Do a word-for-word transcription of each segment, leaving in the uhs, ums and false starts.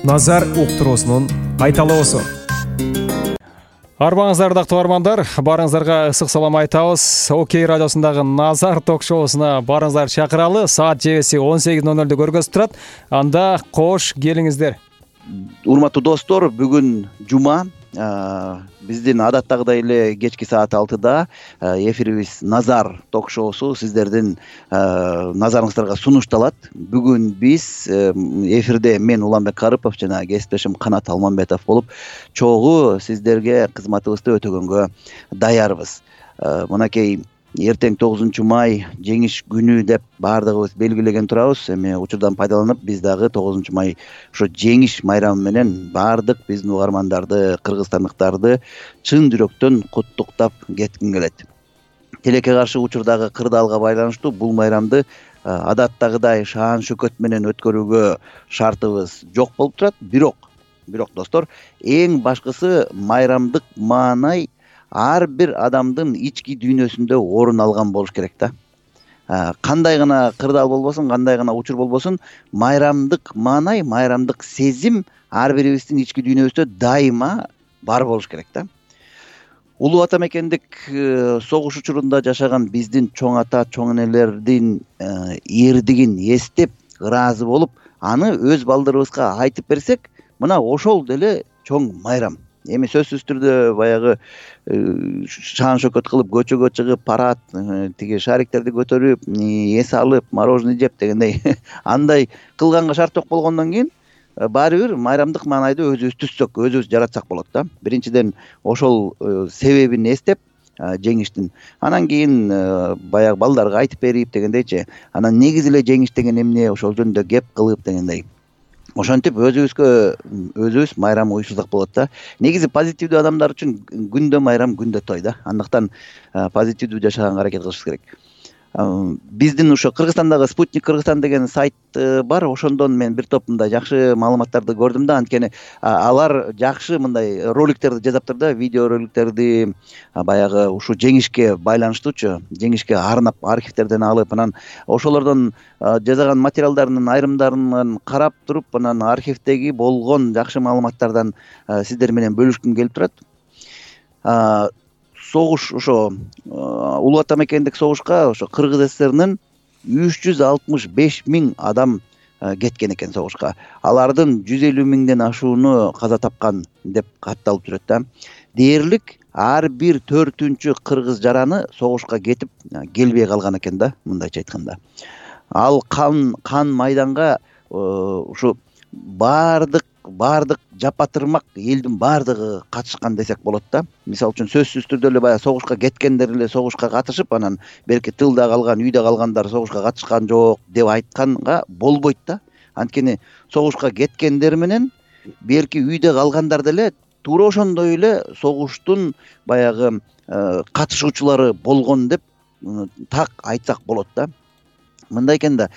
Назар уктуруусунун кайталоосу. Арбаңыздар дактуу армандар, барыңыздарга ысык салам айтабыз. Окей радиосундагы Назар ток-шоусуна барыңыздар чакыралы. Саат жебеси он сегиз ноль нолдо көргөзүп турат. Анда кош келиңиздер. Урматтуу достор, бүгүн жума. Биздин адаттагыдай эле кечки саат алтыда эфирибиз Назар ток-шоусу сиздердин назарыңыздарга сунушталат. Бүгүн биз эфирде мен Уланбек Карыпов жана кесиптешим Канат Алмамбетов болуп чогуу сиздерге кызматыбызды өтөгөнгө даярбыз. Мынакей эртең тогузунчу май жеңиш күнү деп баардыгыбыз белгилеген турабыз. Эми учурдан пайдаланып биз дагы тогузунчу май ошо жеңиш майрамы менен баардык биздин угармандарды, кыргызстандыктарды чын жүрөктөн куттуктап кетким келет. Тилекке каршы учурдагы кырдаалга байланыштуу бул майрамды адаттагыдай шаан шөкөт менен өткөрүүгө шартыбыз жок болуп турат. Бирок, бирок достор, эң башкысы майрамдык маанай ар бир адамдын ички дүйнөсүндө орун алган болуш керек да. Кандай гана кырдаал болбосун, кандай гана учур болбосун, майрамдык маанай, майрамдык сезим ар бирибиздин ички дүйнөбүздө дайыма бар болуш керек да. Улуу ата мекендик согуш учурунда жашаган биздин чоң ата, чоң энелердин эрдигин эстеп, ыраазы болуп, аны өз балдарыбызга айтып берсек, мына ошол деле чоң майрам. Эми сөзсүз түрдө баягы шаан шөкөт кылып, көчөгө чыгып, парад, тиги шариктерди көтөрүп, эс алып, мороженое жеп дегендей андай кылганга шарт жок болгондон кийин баары бир майрамдык маанайды өзүбүз түзсөк, өзүбүз жаратсак болот да. Биринчиден ошол себебин эстеп, жеңиштин, анан кийин баягы балдарга айтып берип дегендейчи, анан негизи эле жеңиш деген эмне, ошол жөнүндө кеп кылып дегендей. Ошентип өзүбүзгө өзүбүз майрам уюшсак болот да. Негизи позитивдүү адамдар үчүн күндө майрам, күндө той да. Андыктан позитивдүү жашаганга аракет кылышыбыз керек. Биздин ошо Кыргызстандагы Спутник Кыргызстан деген сайт бар. Ошондон мен бир топ мындай жакшы маалыматтарды көрдүм да. Анткени алар жакшы мындай роликтерди жазаптыр да, видео роликтерди баягы ушу жеңишке байланыштуучу, жеңишке арнап архивтерден алып, анан ошолордон жазаган материалдарынын айрымдарын карап туруп, анан архивдеги болгон жакшы маалыматтардан сиздер менен бөлүшкүм келип турат. Согуш ошо улуу ата мекендик согушка ошо Кыргыз ССРнын үч жүз алтымыш беш миң адам кеткен экен согушка. Алардын жүз элүү миңден ашууну каза тапкан деп катталып жүрөт да. Дээрлик ар бир төртүнчү кыргыз жараны согушка кетип келбей калган экен да, мындайча айтканда. Ал кан кан майданга ушу баардык баардык жапатырмак элдин баардыгы катышкан десек болот да. Мисалы үчүн сөзсүз түрдө эле баягы согушка кеткендер эле согушка катышып, анан белки тылда калган, үйдө калгандар согушка катышкан жок деп айтканга болбойт да. Анткени согушка кеткендер менен белки үйдө калгандар деле туура ошондой эле согуштун баягы катышуучулары болгон деп так айтсак болот да. Мындай экен да,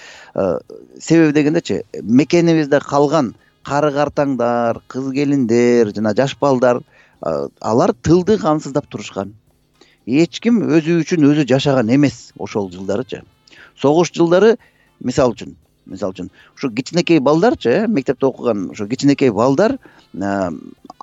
себеби дегендечи, мекенибизде калган кары картаңдар, кыз келиндер жана жаш балдар, алар тылды камсыздап турушкан. Эч ким өзү үчүн өзү жашаган эмес ошол жылдарычы. Согуш жылдары, мисалы үчүн, мисалы үчүн, ушу кичинекей балдарчы, мектепте окуган ушу кичинекей балдар,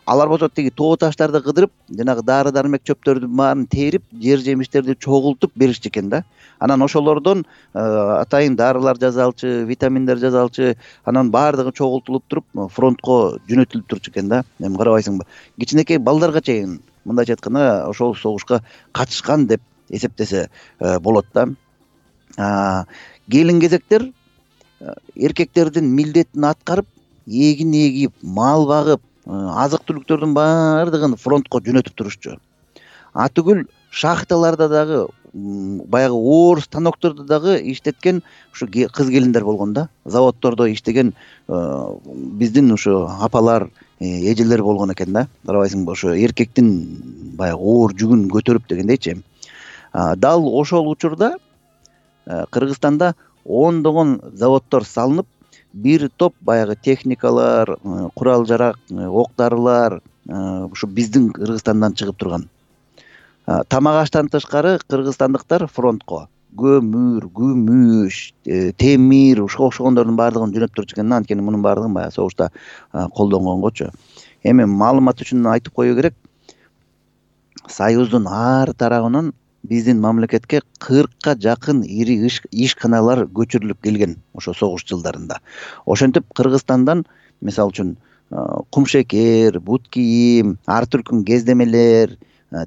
алар болсо тиги тоо таштарды кыдырып, жанагы дары дармек чөптөрдүн баарын терип, жер жемиштерди чогултуп беришчү экен да. Анан ошолордон атайын дарылар жасалчу, витаминдер жасалчу, анан баардыгы чогултулуп туруп, фронтко жөнөтүлүп турчу экен да. Эми карабайсыңбы? Кичинекей балдарга чейин, мындайча айтканда, ошол согушка катышкан деп эсептесе болот да. Келин кезектер эркектердин милдетин аткарып, эгин эгип, мал багып, азык түлүктөрдүн баардыгын фронтко жөнөтүп турушчу. Атүгүл шахталарда дагы, баягы оор станокторду дагы иштеткен ушу кыз келиндер болгон да. Заводдордо иштеген биздин ушу апалар, эжелер болгон экен да. Карабайсыңбы, ошо эркектин баягы оор жүгүн көтөрүп дегендейчи. Дал ошол учурда Кыргызстанда ондогон заводдор салынып, бир топ баягы техникалар, курал жарак, ок дарылар ушу биздин Кыргызстандан чыгып турган. Тамак аштан тышкары кыргызстандыктар фронтко, көмүр, күмүш, темир ушуга окшогондордун баардыгын жөнөтүп турчу экен да. Анткени мунун баардыгын баягы согушта колдонгонгочу. Эми маалымат үчүн айтып коюу керек, Союздун ар тарабынан биздин мамлекетке кыркка жакын ири ишканалар көчүрүлүп келген ошо согуш жылдарында. Ошентип Кыргызстандан мисалы үчүн кумшекер, бут кийим, ар түркүн кездемелер,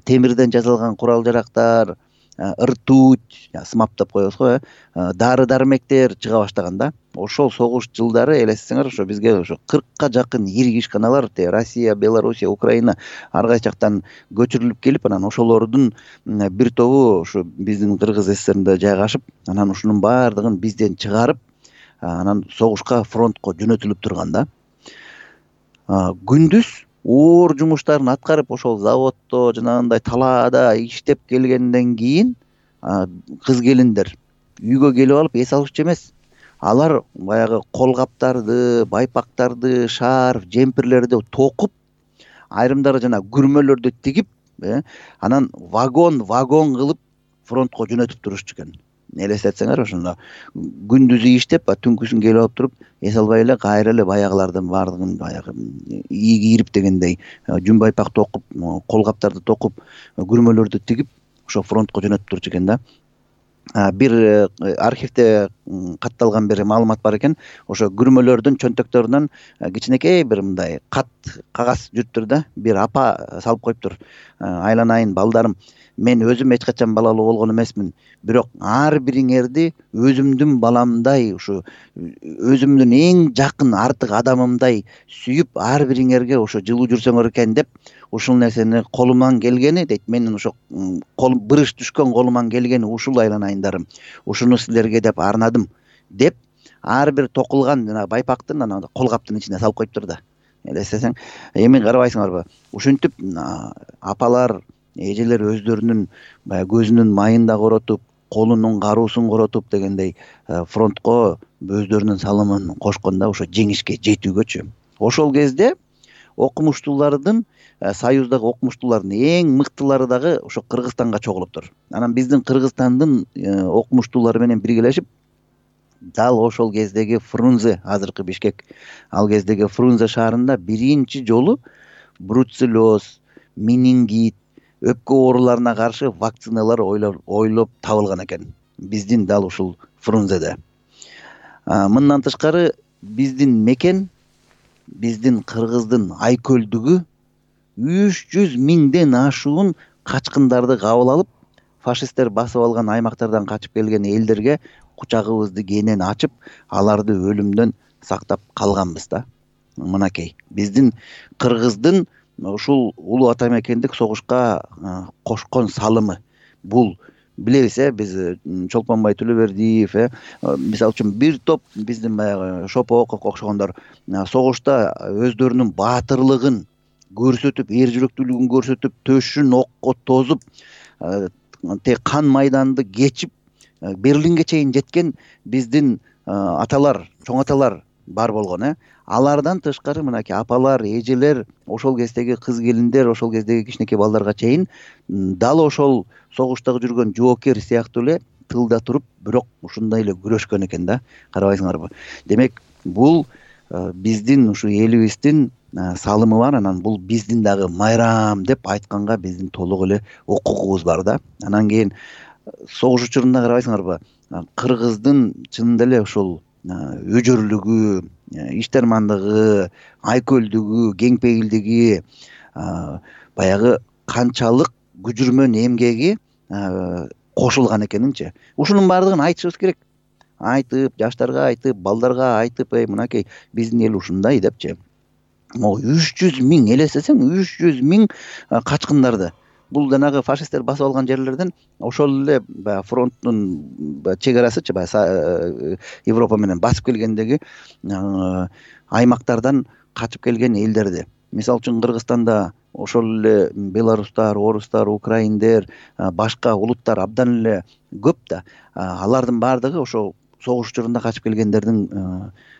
темирден жасалган курал-жарактар, ыртуть, сымап деп коебуз го, дары-дармектер чыга баштаган да. Ошол согуш жылдары элестетсеңер, ошо бизге ошо кыркка жакын ири ишканалар Россия, Белоруссия, Украина ар кайсы жактан көчүрүлүп келип, анан ошолордун бир тобу ушу биздин Кыргыз ССРинде жайгашып, анан ушунун баардыгын бизден чыгарып, анан согушка, фронтко жөнөтүлүп турган да. Күндүз оор жумуштарын аткарып, ошол заводдо, жанагындай талаада иштеп келгенден кийин кыз келиндер үйгө келип алып эс алышчу эмес. Алар баягы колгаптарды, байпактарды, шарф, жемпирлерди токуп, айрымдары жана күрмөлөрдү тигип, анан вагон вагон кылып фронтко жөнөтүп турушчу экен. Элестетсеңер, ошондо күндүзү иштеп, түнкүсүн келип алып туруп, эс албай эле кайра эле баягылардын баардыгын баягы ийгирип дегендей жүн байпак токуп, колгаптарды токуп, күрмөлөрдү тигип, ошо фронтко жөнөтүп турчу экен да. Бир архивде катталган бир маалымат бар экен. Ошо күрмөлөрдүн чөнтөктөрүнөн кичинекей бир мындай кат кагаз жүрүптүр да. Бир апа салып коюптур. Айланайын балдарым, мен өзүм эч качан балалуу болгон эмесмин, бирок ар бириңерди өзүмдүн баламдай, ушу өзүмдүн эң жакын артык адамымдай сүйүп, ар бириңерге ошо жылуу жүрсөңөр экен деп, ушул нерсени колуман келгени дейт. Менин ошо кол бырыш түшкөн колуман келгени ушул айланайындарым. Ушуну силерге деп арнадым деп, ар бир токулган жана байпактын анан колгаптын ичине салып коюптур да. Элестесең, эми карабайсыңарбы? Ушинтип апалар, эжелер өздөрүнүн баягы көзүнүн майын да коротуп, колунун каруусун коротуп дегендей фронтко өздөрүнүн салымын кошкон да, ошо жеңишке жетүүгөчү. Ошол кезде окумуштуулардын, Союздагы окумуштуулардын эң мыктылары дагы ошо Кыргызстанга чогулуптур. Анан биздин Кыргызстандын окумуштуулары менен биргелешип, дал ошол кездеги Фрунзе, азыркы Бишкек, ал кездеги Фрунзе шаарында биринчи жолу бруцеллез, менингит, өпкө ооруларына каршы вакциналар ойлоп, ойлоп табылган экен. Биздин дал ушул Фрунзеде. Мындан тышкары биздин мекен, биздин Кыргыздын айкөлдүгү үч жүз миңден ашуун качкындарды кабыл алып, фашисттер басып алган аймактардан качып келген элдерге кучагыбызды кенен ачып, аларды өлүмдөн сактап калганбыз да. Мынакей биздин Кыргыздын ушул улуу ата мекендик согушка кошкон салымы. Бул билебиз, э, биз Чолпонбай Төлөбердиев, э, мисалы үчүн бир топ биздин баягы Шопоковго окшогондор согушта өздөрүнүн баатырлыгын көрсөтүп, эр жүрөктүүлүгүн көрсөтүп, төшүн окко тозуп, те кан майданды кечип, Берлинге чейин жеткен биздин аталар, чоң аталар бар болгон, э. Алардан тышкары мынакей апалар, эжелер, ошол кездеги кыз келиндер, ошол кездеги кичинекей балдарга чейин дал ошол согуштагы жүргөн жоокер сыяктуу эле тылда туруп, бирок ушундай эле күрөшкөн экен да. Карабайсыңарбы? Демек, бул биздин ушу элибиздин салымы бар, анан бул биздин дагы майрам деп айтканга биздин толук эле укугубуз бар да. Анан кийин согуш учурунда карабайсыңарбы? Кыргыздын чынында эле ошол өжөрлүгү, иштермандыгы, айкөлдүгү, кеңпейилдиги, баягы канчалык күжүрмөн эмгеги кошулган экенинчи. Ушунун баардыгын айтышыбыз керек. Айтып, жаштарга айтып, балдарга айтып, эй, мынакей биздин эл ушундай депчи. Могу үч жүз миң, элестесең, үч жүз миң качкындарды. Бул жанагы фашисттер басып алган жерлерден ошол эле баягы фронттун чек арасычы, баягы Европа менен басып келгендеги аймактардан качып келген элдерди. Мисалы үчүн Кыргызстанда ошол эле белорустар, орустар, украиндер, башка улуттар абдан эле көп да. Алардын баардыгы ошо согуш учурунда качып келгендердин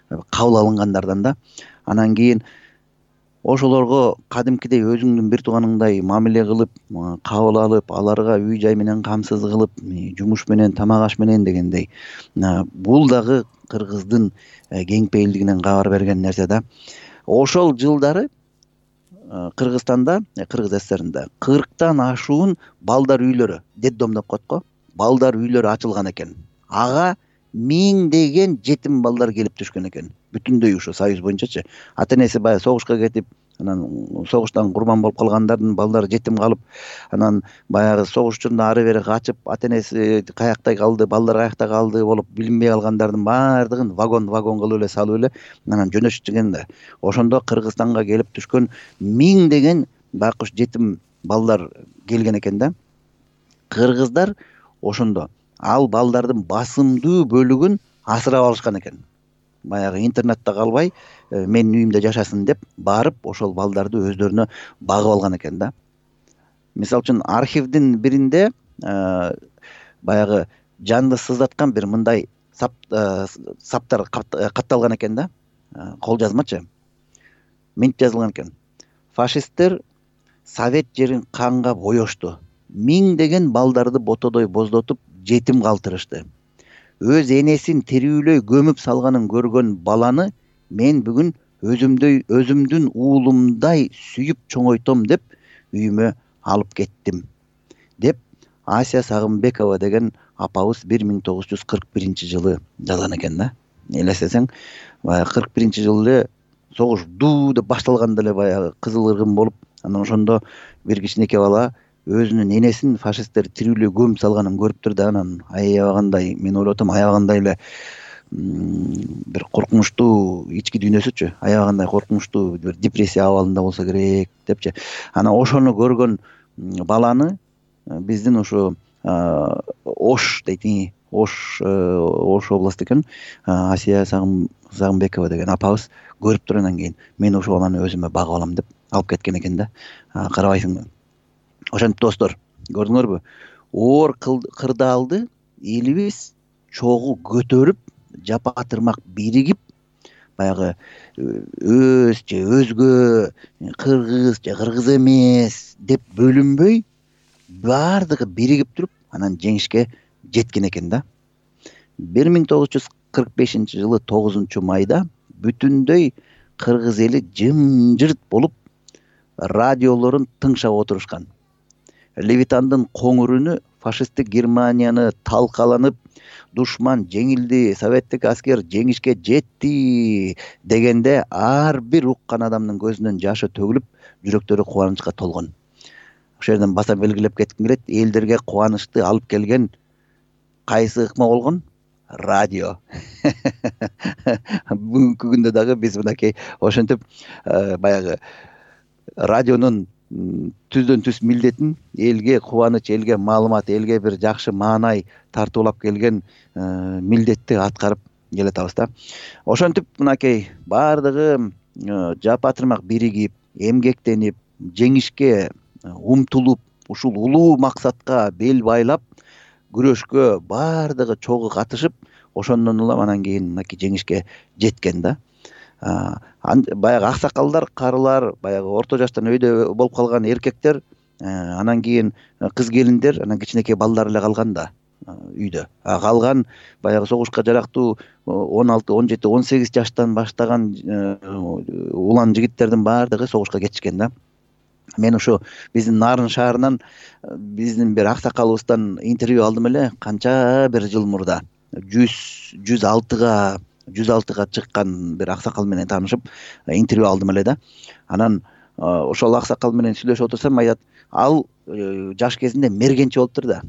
кабыл алынгандардан да. Анан кийин ошолорго кадимкидей өзүңдүн бир тууганыңдай мамиле кылып, кабыл алып, аларга үй жай менен камсыз кылып, жумуш менен, тамак аш менен дегендей. Бул дагы кыргыздын кеңпейилдигинен кабар берген нерсе да. Ошол жылдары Кыргызстанда, Кыргыз ССРинде кырктан ашуун балдар үйлөрү, детдом деп коет го, балдар үйлөрү ачылган экен. Ага миңдеген жетим балдар келип түшкөн экен. Бүтүндөй ушу союз боюнчачы. Ата энеси баягы согушка кетип, анан согуштан курман болуп калгандардын балдары жетим калып, анан баягы согуш учурунда ары бери качып, ата энеси каякта калды, балдар каякта калды болуп билинбей калгандардын баардыгын вагон вагон кылып эле салып эле анан жөнөтүшкөн да. Ошондо Кыргызстанга келип түшкөн миңдеген байкуш жетим балдар келген экен да. Кыргыздар ошондо ал балдардын басымдуу бөлүгүн асырап алышкан экен. Баягы интернатта калбай, менин үйүмдө жашасын деп барып, ошол балдарды өздөрүнө багып алган экен да. Мисалы үчүн архивдин биринде баягы жанды сыздаткан бир мындай саптар катталган экен да. Кол жазмачы. Мынтип жазылган экен. Фашисттер Совет жерин канга боёшту. Миңдеген балдарды ботодой боздотуп, жетим калтырышты. Өз энесин тирүүлөй көмүп салганын көргөн баланы мен бүгүн өзүмдөй өзүмдүн уулумдай сүйүп чоңойтом деп үйүмө алып кеттим деп Асия Сагынбекова деген апабыз бир миң тогуз жүз кырк биринчи жылы жазган экен да. Элестесең, баягы кырк биринчи жылы эле согуш дуу деп башталганда эле баягы кызыл ыргын болуп, анан ошондо бир кичинекей бала өзүнүн энесин фашисттер тирүүлөй көмүп салганын көрүптүр да, анан аябагандай, мен ойлоп атам, аябагандай эле бир коркунучтуу ички дүйнөсүчү, аябагандай коркунучтуу бир депрессия абалында болсо керек депчи. Анан ошону көргөн баланы биздин ушу Ош дейт, Ош Ош областы экен, Асия Сагынбекова деген апабыз көрүптүр, анан кийин мен ошол баланы өзүмө багып алам деп алып кеткен экен да. Карабайсыңбы? Ошентип достор, көрдүңөрбү? Оор кырдаалды элибиз чогуу көтөрүп, жапа тырмак биригип, баягы өз же өзгө, кыргыз же кыргыз эмес деп бөлүнбөй, баардыгы биригип туруп, анан жеңишке жеткен экен да. бир миң тогуз жүз кырк бешинчи жылы тогузунчу майда бүтүндөй кыргыз эли жымжырт болуп, радиолорун тыңшап отурушкан. Левитандын коңур үнү фашисттик Германияны талкаланып, душман жеңилди, советтик аскер жеңишке жетти дегенде ар бир уккан адамдын көзүнөн жашы төгүлүп, жүрөктөрү кубанычка толгон. Ошол жерден баса белгилеп кетким келет, элдерге кубанычты алып келген кайсы ыкма болгон? Радио. Бүгүнкү күндө дагы биз мынакей ошентип баягы радионун түздөн түз милдетин элге кубаныч, элге маалымат, элге бир жакшы маанай тартуулап келген милдетти аткарып келатабыз да. Ошентип мынакей баардыгы жапа тырмак биригип, эмгектенип, жеңишке умтулуп, ушул улуу максатка бел байлап, күрөшкө баардыгы чогуу катышып, ошондон улам анан кийин мынакей жеңишке жеткен да. Баягы аксакалдар, карылар, баягы орто жаштан өйдө болуп калган эркектер, анан кийин кыз келиндер, анан кичинекей балдар эле калган да үйдө. Калган баягы согушка жарактуу он алты, он жети, он сегиз жаштан баштаган улан жигиттердин баардыгы согушка кетишкен да. Мен ушу биздин Нарын шаарынан биздин бир аксакалыбыздан интервью алдым эле, канча бир жыл мурда. жүз алтыга жүз алтыга чыккан бир аксакал менен таанышып интервью алдым эле да. Анан ошол аксакал менен сүйлөшүп отурсам, айтат, ал жаш кезинде мергенчи болуптур да.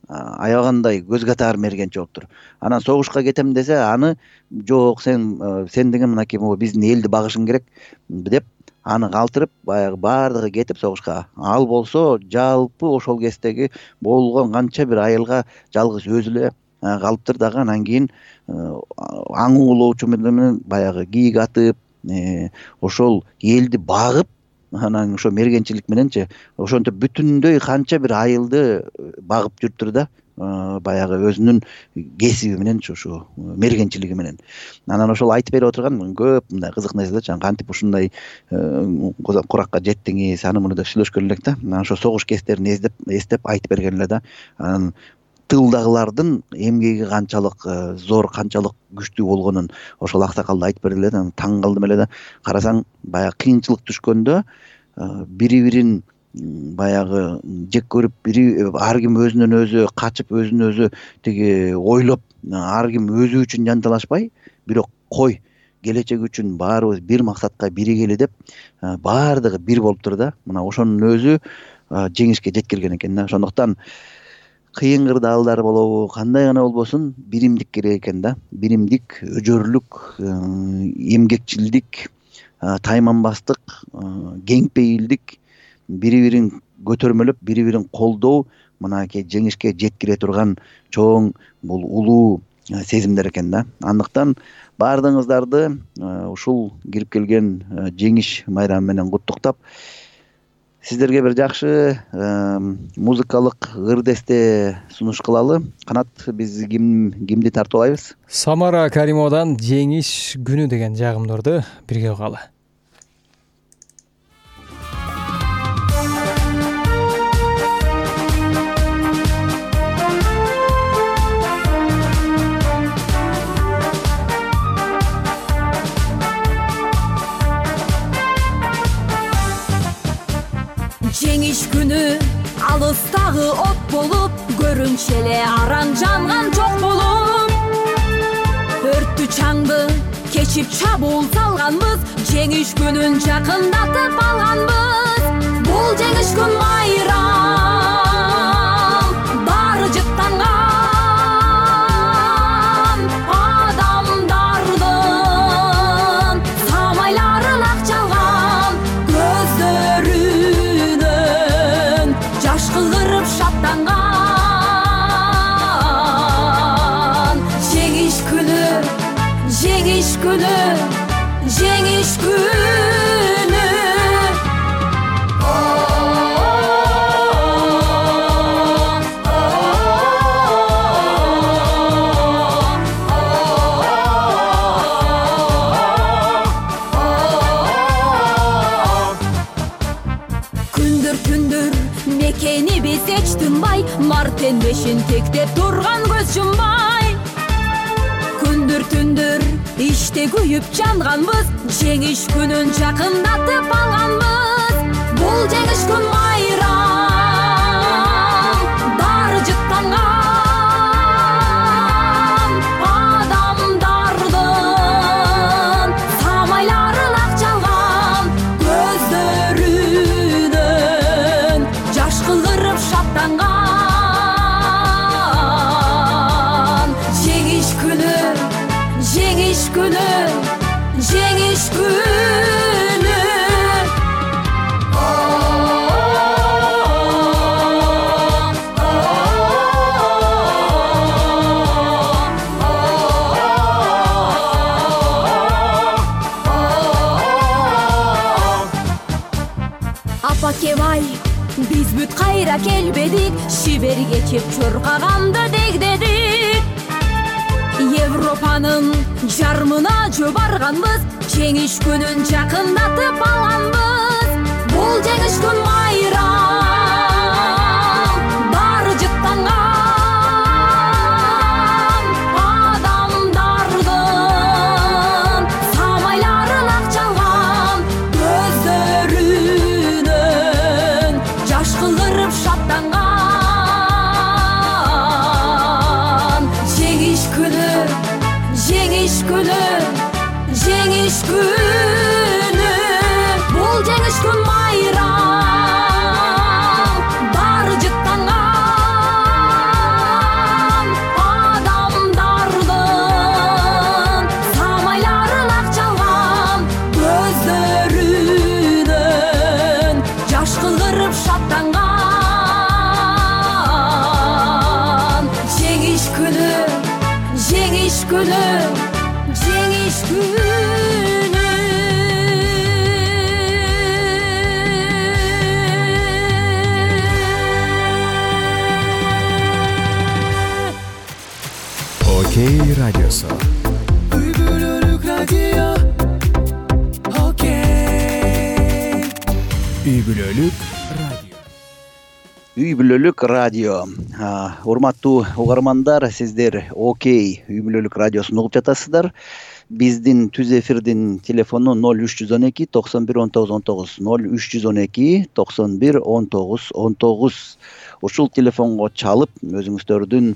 Аябагандай көз катар мергенчи болуптур. Анан согушка кетем десе, аны жок, сен сен деген мынакей биздин элди багышың керек деп аны калтырып, баягы баардыгы кетип согушка. Ал болсо жалпы ошол кездеги болгон канча бир айылга жалгыз өзү эле калыптыр дагы. Анан кийин аң уулоочу менен баягы кийик атып, ошол элди багып, анан ошо мергенчилик мененчи ошентип бүтүндөй канча бир айылды багып жүрүптүр да. баягы өзүнүн кесиби менен ушу мергенчилиги менен. Анан ошол айтып берип отурган көп мындай кызык нерселер, жана кантип ушундай куракка жеттиңиз аны муну деп сүйлөшкөн элек да. Анан ошо согуш кездерин эстеп эстеп айтып берген эле да. Анан тылдагылардын эмгеги канчалык зор, канчалык күчтүү болгонун ошол аксакал айтып берди эле да. Таң калдым эле да. Карасаң баягы кыйынчылык түшкөндө бири-бирин баягы жек көрүп, бири ар ким өзүнөн өзү качып, өзүнөн өзү тиги ойлоп, ар ким өзү үчүн жанталашпай, бирок кой келечек үчүн баарыбыз бир максатка биригели деп баардыгы бир болуптур да. Мына ошонун өзү жеңишке жеткирген экен да. Ошондуктан кыйын кырдаалдар болобу, кандай гана болбосун, биримдик керек экен да. Биримдик, өжөрлүк, эмгекчилдик, тайманбастык, кеңпейилдик, бири-бирин көтөрмөлөп, бири-бирин колдоо мынакей жеңишке жеткире турган чоң бул улуу сезимдер экен да. Андыктан баардыгыңыздарды ушул кирип келген жеңиш майрамы менен куттуктап, сиздерге бир жакшы музыкалык ыр-десте сунуш кылалы. Канат, биз ким кимди тартып алайбыз? Самара Каримовадан жеңиш күнү деген жагымдарды бирге угалы. Жеңиш күнү алыстагы от болуп, көрүнчү эле аран жанган жок болуп, өрттү чаңды кечип чабуул салганбыз, жеңиш күнүн жакындатып алганбыз. Бул жеңиш күн майрам, баары жыттанган адамдардын самайлары акчалган көздөрү кылдырып шаттанган. Жеңиш күнү, жеңиш күнү, жеңиш күнү. Күндүр түндүр мекени биз эч тынбай, мартенбешин тектеп турган көз жумбай. Күндүр түндүр иште күйүп жанганбыз, жеңиш күнүн жакындатып алганбыз. Бул жеңиш күн майрам, баары жыттанган адамдардын самайлары акчалган көздөрүнөн жаш кылдырып шаттанган. Жеңиш күнү, жеңиш күнү, жеңиш күнү. Апакебай, биз бүт кайра келбедик, шибер кечип чуркаганды дегдедик. Европанын жармына жөө барганбыз, жеңиш күнүн жакындатып алганбыз. Бул жеңиш күн майрам, баары жыттанган адамдардын самайлары акчалган көздөрүнөн жаш кылдырып шаттанган. Жеңиш күнү, жеңиш күнү, жеңиш күнү. Бул жеңиш күн майрам, баары жыттанган адамдардын самайлары акчалган көздөрүнөн жаш кылдырып шаттанган. Жеңиш күнү, жеңиш күнү, жеңиш күнү. үй бүлөлүк радио. Үй бүлөлүк радио. Урматтуу угармандар, сиздер Окей үй бүлөлүк радиосун угуп жатасыздар. Биздин түз эфирдин телефону ноль үч жүз он эки токсон бир он тогуз он тогуз ноль үч жүз он эки токсон бир он тогуз он тогуз. Ушул телефонго чалып, өзүңүздөрдүн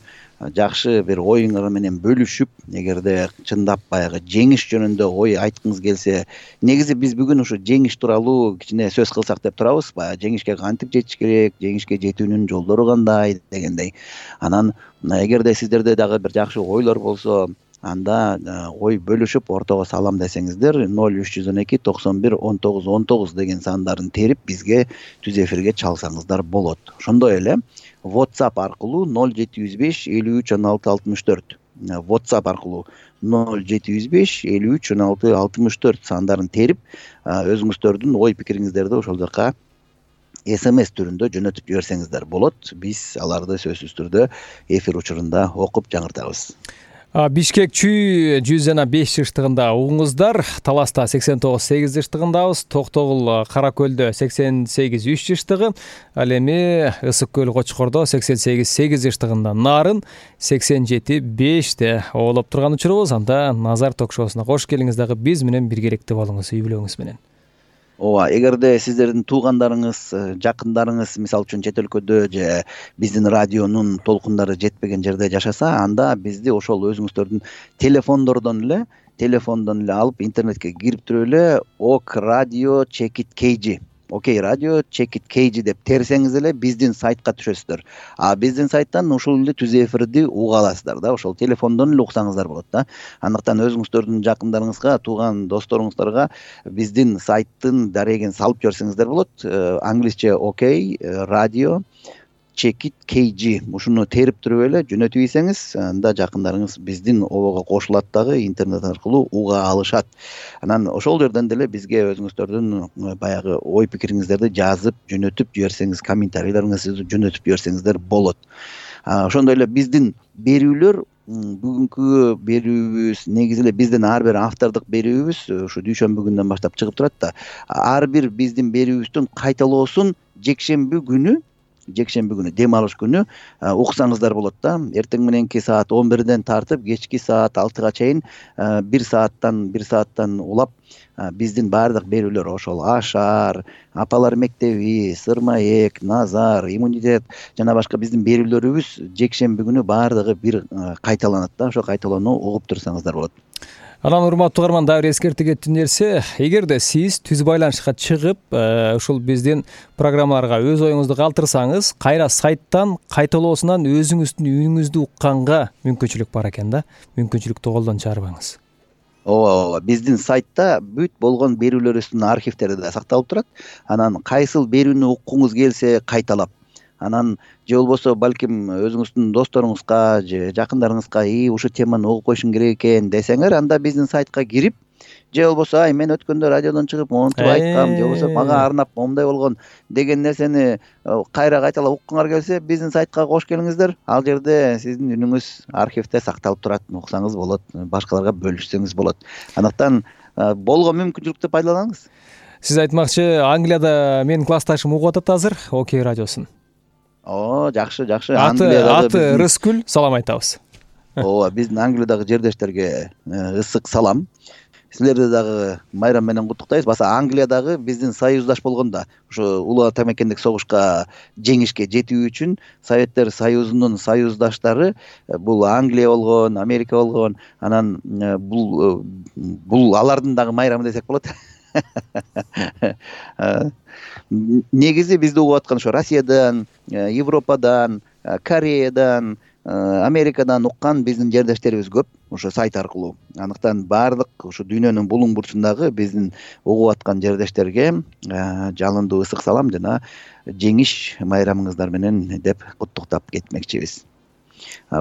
жакшы бир оюңар менен бөлүшүп, эгерде чындап баягы жеңиш жөнүндө ой айткыңыз келсе, негизи биз бүгүн ушу жеңиш тууралуу кичине сөз кылсак деп турабыз. Баягы жеңишке кантип жетиш керек, жеңишке жетүүнүн жолдору кандай дегендей. Анан эгерде сиздерде дагы бир жакшы ойлор болсо, анда ой бөлүшүп ортого салам десеңиздер, ноль үч жүз он эки токсон бир он тогуз он тогуз деген сандарын терип бизге түз эфирге чалсаңыздар болот. Ошондой эле WhatsApp аркылуу ноль жети жүз беш элүү үч он алты алтымыш төрт WhatsApp аркылуу ноль жети жүз беш элүү үч он алты алтымыш төрт сандарын терип, өзүңүздөрдүн ой пикириңиздерди ошол жака эс эм эс түрүндө жөнөтүп жиберсеңиздер болот. Биз аларды сөзсүз түрдө эфир учурунда окуп жаңыртабыз. Бишкек чүй жүз жана беш жыштыгында угуңуздар, Таласта сексен тогуз сегиз жыштыгындабыз, Токтогул Кара Көлдө сексен сегиз үч жыштыгы, ал эми Ысык Көл Кочкордо сексен сегиз сегиз жыштыгында, Нарын сексен жети беште оолоп турган учурубуз. Анда Назар ток-шоусуна кош келиңиз, дагы биз менен биргеликте болуңуз, үй бүлөңүз менен. Ооба, эгерде сиздердин туугандарыңыз, жакындарыңыз мисалы үчүн чет өлкөдө же биздин радионун толкундары жетпеген жерде жашаса, анда бизди ошол өзүңүздөрдүн телефондордон эле телефондон эле алып интернетке кирип туруп эле ок радио чекит kg Окей радио чекит kg деп терсеңиз эле биздин сайтка түшөсүздөр. А биздин сайттан ушул эле түз эфирди уга аласыздар да, ошол телефондон эле уксаңыздар болот да. Андыктан өзүңүздөрдүн жакындарыңызга, тууган досторуңуздарга биздин сайттын дарегин салып жиберсеңиздер болот. Англисче Окей радио чекит kg ушуну терип туруп эле жөнөтүп ийсеңиз, анда жакындарыңыз биздин обого кошулат дагы, интернет аркылуу уга алышат. Анан ошол жерден деле бизге өзүңүздөрдүн баягы ой пикириңиздерди жазып жөнөтүп жиберсеңиз, комментарийлериңизди жөнөтүп жиберсеңиздер болот. Ошондой эле биздин берүүлөр, бүгүнкү берүүбүз негизи эле биздин ар бир автордук берүүбүз ушу дүйшөмбү күнүнөн баштап чыгып турат да. Ар бир биздин берүүбүздүн кайталоосун жекшемби күнү жекшемби күнү дем алыш күнү уксаңыздар болот да. Эртең мененки саат он бирден тартып кечки саат алтыга чейин бир сааттан бир сааттан улап биздин баардык берүүлөр, ошол Ашар, Апалар мектеби, Сырмаек, Назар, Иммунитет жана башка биздин берүүлөрүбүз жекшемби күнү баардыгы бир кайталанат да. Ошо кайталоону угуп турсаңыздар болот. Анан урматтуу угарман, дагы бир эскертип кетти нерсе, эгерде сиз түз байланышка чыгып, ушул биздин программаларга өз оюңузду калтырсаңыз, кайра сайттан кайталоосунан өзүңүздүн үнүңүздү укканга мүмкүнчүлүк бар экен да. Мүмкүнчүлүктү колдон чыгарбаңыз. Ооба, ооба. Биздин сайтта бүт болгон берүүлөрүбүздүн архивтери да сакталып турат. Анан кайсыл берүүнү уккуңуз келсе кайталап, анан же болбосо балким өзүңүздүн досторуңузга же жакындарыңызга и ушул теманы угуп коюшуң керек экен десеңер, анда биздин сайтка кирип, же болбосо ай мен өткөндө радиодон чыгып монтип айткам, же болбосо мага арнап момундай болгон деген нерсени кайра кайталап уккуңар келсе, биздин сайтка кош келиңиздер. Ал жерде сиздин үнүңүз архивте сакталып турат, уксаңыз болот, башкаларга бөлүшсөңүз болот. Андыктан болгон мүмкүнчүлүктү пайдаланыңыз. Сиз айтмакчы, Англияда менин классташым угуп атат азыр Окей радиосун. О, жакшы, жакшы. Аты аты Рыскүл, салам айтабыз. Ооба, биздин Англиядагы жердештерге ысык салам. Силерди дагы майрам менен куттуктайбыз. Баса Англиядагы биздин союздаш болгондо, ушу улуу ата мекендик согушка жеңишке жетүү үчүн Советтер Союзунун союздаштары бул Англия болгон, Америка болгон, анан бул бул алардын дагы майрамы десек болот. Негизи бизди угуп аткан ошо Россиядан, Европадан, Кореядан, Америкадан уккан биздин жердештерибиз көп ошо сайт аркылуу. Андыктан баардык ушу дүйнөнүн булуң бурчундагы биздин угуп аткан жердештерге жалындуу ысык салам жана жеңиш майрамыңыздар менен деп куттуктап кетмекчибиз.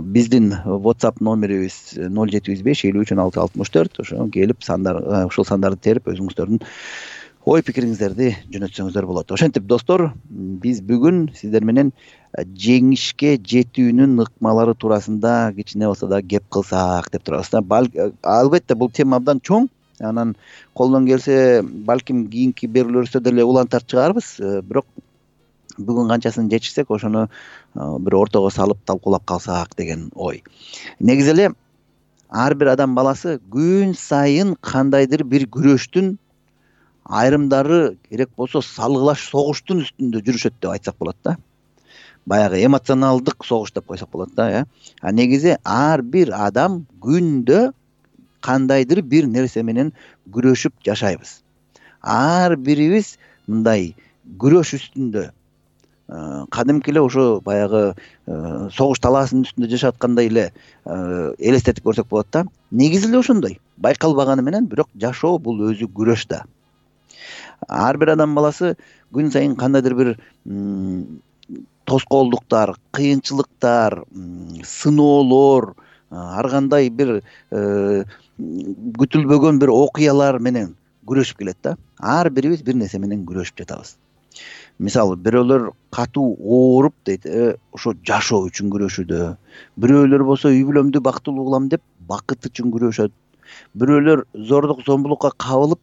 Биздин WhatsApp номерибиз ноль жети жүз беш элүү үч он алты алтымыш төрт. Ошо келип сандар, ушул сандарды терип өзүңүздөрдүн ой пикириңиздерди жөнөтсөңүздөр болот. Ошентип достор, биз бүгүн сиздер менен жеңишке жетүүнүн ыкмалары туурасында кичине болсо да кеп кылсак деп турабыз да. Албетте бул тема абдан чоң. анан колдон келсе балким кийинки берүүлөрүбүздө деле улантар чыгарбыз, бирок бүгүн канчасын жетишсек ошону бир ортого салып талкуулап калсак деген ой. Негизи эле ар бир адам баласы күн сайын кандайдыр бир күрөштүн, айрымдары керек болсо салгылаш согуштун үстүндө жүрүшөт деп айтсак болот да. Баягы эмоционалдык согуш деп койсок болот да, э. А негизи ар бир адам күндө кандайдыр бир нерсе менен күрөшүп жашайбыз. Ар бирибиз мындай күрөш үстүндө, кадимки эле ошо баягы согуш талаасынын үстүндө жашап аткандай эле элестетип көрсөк болот да. Негизи эле ошондой. Байкалбаганы менен, бирок жашоо бул өзү күрөш да. Ар бир адам баласы күн сайын кандайдыр бир тоскоолдуктар, кыйынчылыктар, сыноолор, ар кандай бир күтүлбөгөн бир окуялар менен күрөшүп келет да. Ар бирибиз бир нерсе менен күрөшүп жатабыз. Мисалы, бирөөлөр катуу ооруп дейт, ошо жашоо үчүн күрөшүүдө. Бирөөлөр болсо үй бүлөмдү бактылуу кылам деп бакыт үчүн күрөшөт. Бирөөлөр зордук зомбулукка кабылып,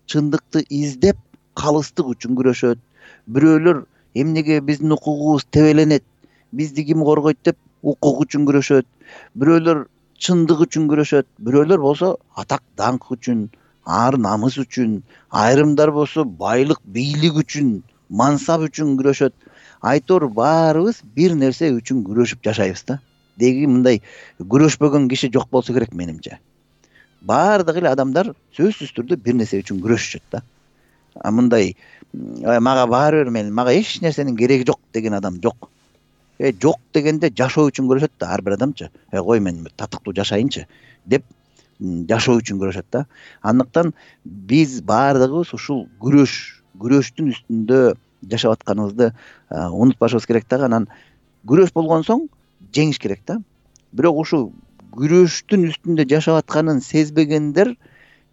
чындыкты издеп, калыстык үчүн күрөшөт. Бирөөлөр эмнеге биздин укугубуз тебеленет, бизди ким коргойт деп укук үчүн күрөшөт. Бирөөлөр чындык үчүн күрөшөт. Бирөөлөр болсо атак даңк үчүн, ар намыс үчүн, айрымдар болсо байлык, бийлик үчүн, мансап үчүн күрөшөт. Айтор баарыбыз бир нерсе үчүн күрөшүп жашайбыз да. Деги мындай күрөшпөгөн киши жок болсо керек менимче. Баардык эле адамдар сөзсүз түрдө бир нерсе үчүн күрөшүшөт да. А мындай мага баары бир, мен мага эч нерсенин кереги жок деген адам жок. Э жок дегенде жашоо үчүн күрөшөт да ар бир адамчы. Э кой мен татыктуу жашайынчы деп жашоо үчүн күрөшөт да. Андыктан биз баардыгыбыз ушул күрөш, күрөштүн үстүндө жашап атканыбызды унутпашыбыз керек да. Анан күрөш болгон соң жеңиш керек да. Бирок ушул күрөштүн үстүндө жашап атканын сезбегендер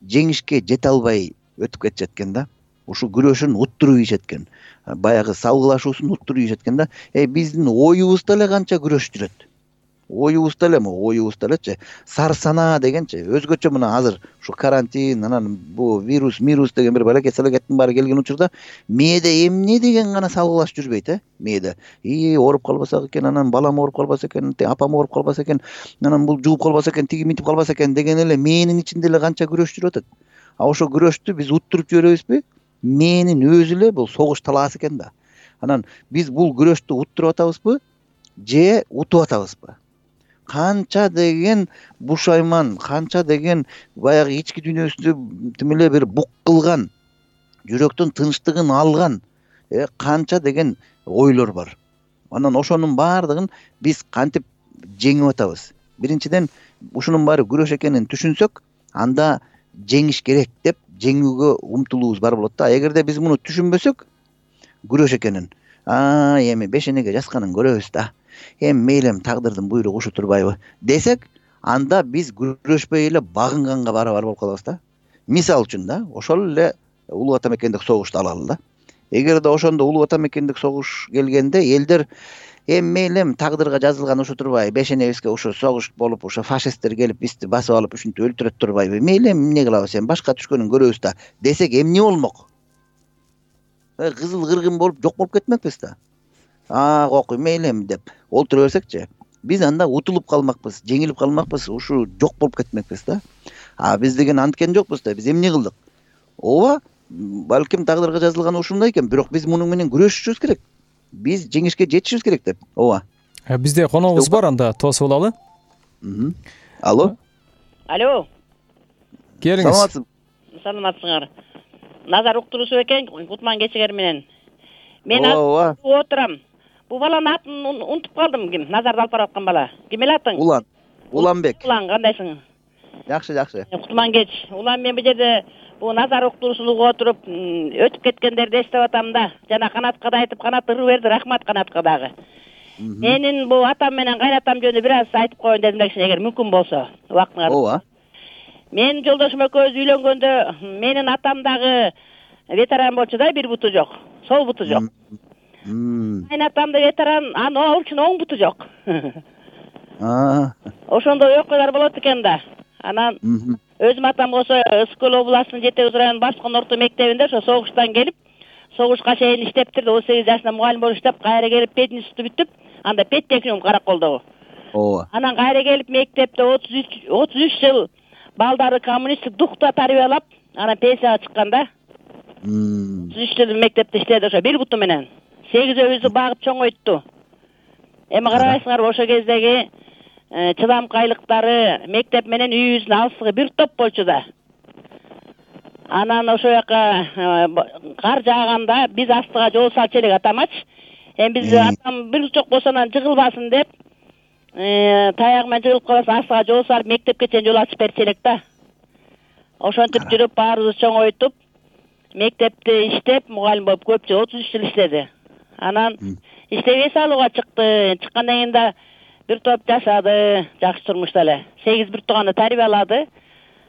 жеңишке жете албай өтүп кетишет экен да. Ушул күрөшүн уттуруп ийишет экен. Баягы салгылашуусун уттуруп ийишет экен да. Э биздин оюбузда эле канча күрөш жүрөт. Оюбузда эле, оюбузда элечи сар санаа дегенчи өзгөчө мына азыр ушу карантин, анан бу вирус, вирус деген бир балакет салакеттин баары келген учурда мээде эмне деген гана салгылаш жүрбөйт, э? Мээде и ооруп калбасак экен, анан балам ооруп калбаса экен, апам ооруп калбаса экен, анан бул жууп калбаса экен, тиги мынтип калбаса экен деген эле мээнин ичинде эле канча күрөш жүрүп атат. А ошо күрөштү биз уттуруп жиберебизби? Мээнин өзү эле бул согуш талаасы экен да. Анан биз бул күрөштү уттуруп атабызбы же утуп атабызбы? Канча деген бушайман, канча деген баягы ички дүйнөсүндө тим эле бир бук кылган, жүрөктүн тынчтыгын алган, э канча деген ойлор бар. Анан ошонун баардыгын биз кантип жеңип атабыз? Биринчиден, ушунун баары күрөш экенин түшүнсөк, анда жеңиш керек деп жеңүүгө умтулуубуз бар болот да. Эгерде биз муну түшүнбөсөк, күрөш экенин, а эми бешенеге жазганын көрөбүз да. Эми мейлем тагдырдын буйругу ушу турбайбы десек, анда биз күрөшпөй эле багынганга барабар болуп калабыз да. Мисал үчүн да, ошол эле улуу ватан мекендик согушту алалы да. Эгерде ошондо улуу ватан мекендик согуш келгенде элдер эми мейлем тагдырга жазылган ушу турбайбы, бешенебизге ушу согуш болуп, ушу фашисттер келип бизди басып алып ушинтип өлтүрөт турбайбы, мейлем эмне кылабыз, эми башка түшкөнүн көрөбүз да десек, эмне болмок? Кызыл кыргын болуп жок болуп кетмекпиз да. А кокуй мейлем деп олтура берсекчи, биз анда утулуп калмакпыз, жеңилип калмакпыз, ушу жок болуп кетмекпиз да. А биз деген анткен жокпуз да, биз эмне кылдык? Ооба, балким тагдырга жазылган ушундай экен, бирок биз мунун менен күрөшүшүбүз керек. Биз жеңишке жетишибиз керек деп. Ооба. Бизде коногубуз бар, анда тосуп алалы. Алло. Алло. Келиңиз. Саламатсызбы? Саламатсыңар. Назар уктуруусу экен, Кутман Кечигер менен. Мен отурам. Бу баланын атын унутуп калдым, ким? Назарды алып бараткан бала. Ким эле атың? Улан. Уланбек. Улан, кандайсың? Жакшы, жакшы. Кутман Кеч. Улан, мен бу жерде бу Назар уктуруусун угуп отуруп, өтүп кеткендерди эстеп атам да. Жана Канатка да айтып, Канат ыры берди, рахмат Канатка дагы. Менин бу атам менен кайнатам жөнүндө бир аз айтып коеюн дедим да, эгер мүмкүн болсо, убактыңар. Ооба. Менин жолдошум экөөбүз үйлөнгөндө, менин атам дагы ветеран болчу да, бир буту жок. Сол буту жок. Кайнатам да ветеран, анын оочун оң буту жок. А. Ошондой окуялар болот экен да. Анан өзүм атам болсо Ысык көл областынын Жети Кыз районунун Баскон орто мектебинде ошо согуштан келип согушка чейин иштептир. отуз сегиз жашында мугалим болуп иштеп, кайра келип пединституту бүтүп, анда педтехникум Караколдогу. ооба. Анан кайра келип мектепте отуз үч отуз үч жыл балдарды коммунисттик духта тарбиялап, анан пенсияга чыкканда отуз үч жыл мектепте иштеди ошо бир буту менен. сегизөөбүздү багып чоңойтту. Эми карабайсыңарбы, ошо кездеги чыдамкайлыктары мектеп менен үйүбүздүн алыстыгы бир топ болчу да. Анан ошо жака кар жааганда биз астыга жол салчу элек атамачы. Эми биз атам бир жок болсо анан жыгылбасын деп, таягы менен жыгылып калбасын астыга жол салып мектепке чейин жол ачып берчү элек да. Ошентип жүрүп баарыбызды чоңойтуп, мектепте иштеп, мугалим болуп көп жыл отуз үч жыл иштеди. Анан иштеп эс алууга чыкты. Чыккандан кийин да бир топ жашады, жакшы турмушта эле. сегиз бир тууганды тарбиялады.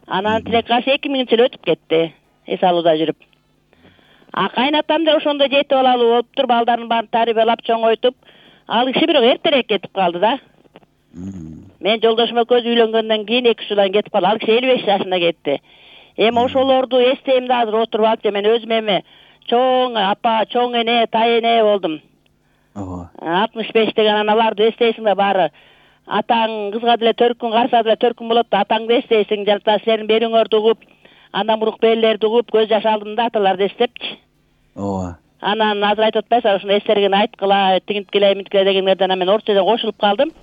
Анан тилек кашы эки миңинчи жылы өтүп кетти, эс алууда жүрүп. А кайнатам да ошондой жети балалуу болуптур, балдарын баарын тарбиялап чоңойтуп, ал киши бирок эртерээк кетип калды да. Мен жолдошум экөөбүз үйлөнгөндөн кийин эки үч жылдан кетип калды. Ал киши элүү беш жашында кетти. Эми ошолорду эстейм да азыр отуруп алып, мен өзүм эми чоң апа, чоң эне, тай эне болдум. Ооба. алтымыш беш деген анан аларды эстейсиң да баары. Атаң кызга деле төрт күн карса деле төрт күн болот да, атаңды эстейсиң, жана силердин берүүңөрдү угуп, андан бурук берилерди угуп, көз жаш алдым да аталарды эстепчи. Ооба. Анан азыр айтып атпайсызбы, ошону эстергени айткыла, тигинткиле, минткиле дегендерден мен орусчадан кошулуп калдым.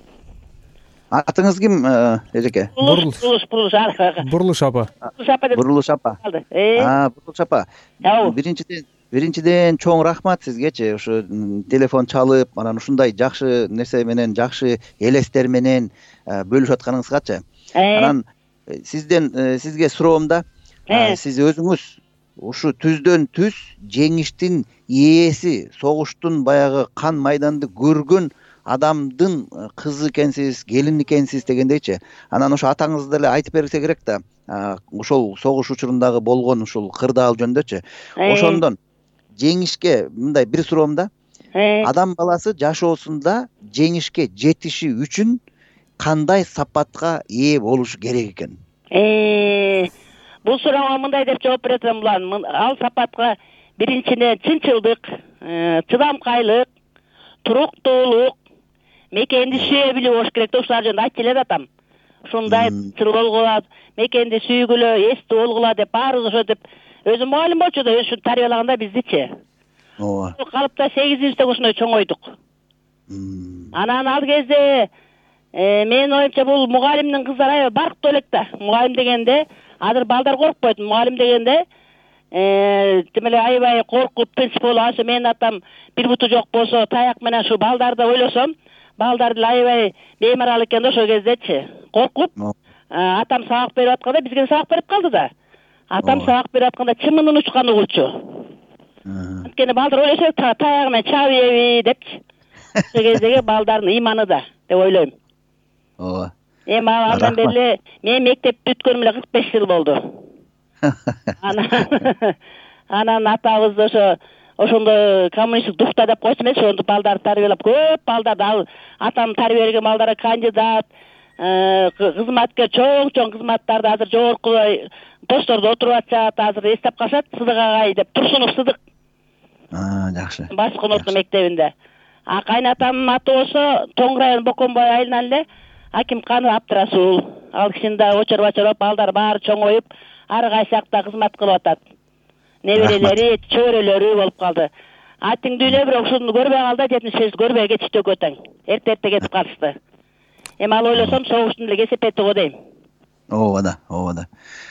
Атыңыз ким, эжеке? Бурулуш, бурулуш, бурулуш. Бурулуш апа. Бурулуш апа деп. Бурулуш апа. А, бурулуш апа. Биринчиден Биринчиден чоң рахмат сизгечи. Ушу телефон чалып, анан ушундай жакшы нерсе менен, жакшы элестер менен бөлүшүп атканыңызгачы. Анан сизден сизге суроом да, сиз өзүңүз ушу түздөн түз жеңиштин ээси, согуштун баягы кан майданды көргөн адамдын кызы экенсиз, келини экенсиз дегендейчи. Анан ошо атаңыз деле айтып берсе керек да, ошол согуш учурундагы болгон ушул кырдаал жөнүндөчү. Ошондон жеңишке мындай бир суроом да. Адам баласы жашоосунда жеңишке жетиши үчүн кандай сапатка ээ болушу керек экен? Э, бул суроого мындай деп жооп берем булан. Ал сапатка биринчиден чынчылдык, чыдамкайлык, туруктуулук, мекенди сүйө билүү болуш керек да. Ушулар жөнүндө айтып келет атам. Ушундай чыл болгула, мекенди сүйгүлө, эстүү болгула деп баарыбыз ошо деп өзүм мугалим болчу да, ошо тарбиялаганда биздичи. Ооба. Калыпта сегизинчи ошондой чоңойдук. Анан ал кезде менин оюмча бул мугалимдин кыздары аябай барктуу элек да. Мугалим дегенде азыр балдар коркпойт. Мугалим дегенде тим эле аябай коркуп, принцип болуп, ошо менин атам бир буту жок болсо, таяк менен ушу балдарды ойлосом, балдар деле аябай беймарал экен да ошол кездечи. Коркуп, атам сабак берип атканда бизге сабак берип калды да. Атам сабак берип атканда чымынын учкан угулчу. Анткени балдар ойлошот, таягы менен чабы еби депчи. Ошол кездеги балдардын ыйманы да деп ойлойм. Ооба. Эми андан бери мен мектеп бүткөнүм эле кырк беш жыл болду. Анан анан атабыз ошо ошондо коммунисттик духта деп койчу эмес, ошондо балдарды тарбиялап, көп балдарды ал атам тарбия берген балдары кандидат, кызматкер, чоң-чоң кызматтарды азыр жогорку посттордо отуруп атышат, азыр эстеп калышат. Сыдык агай деп, Турсунов Сыдык. А, жакшы. Баскон орто мектебинде. А кайнатамдын аты болсо Тоң району Боконбой айылынан эле Акимканов Абдрасул. Ал кишинин да очор-бачор балдар баары чоңоюп, ар кайсы жакта кызмат кылып атат. Неберелери, чөбөрөлөрү болуп калды. Атиңдүүлөр бирок ушуну көрбөй калды, жетимиш беш көрбөй кетишти экөө тең. Эрте-эрте кетип калышты. Эми ал ойлосом согуштун эле кесепети го дейм. Ооба да, ооба да.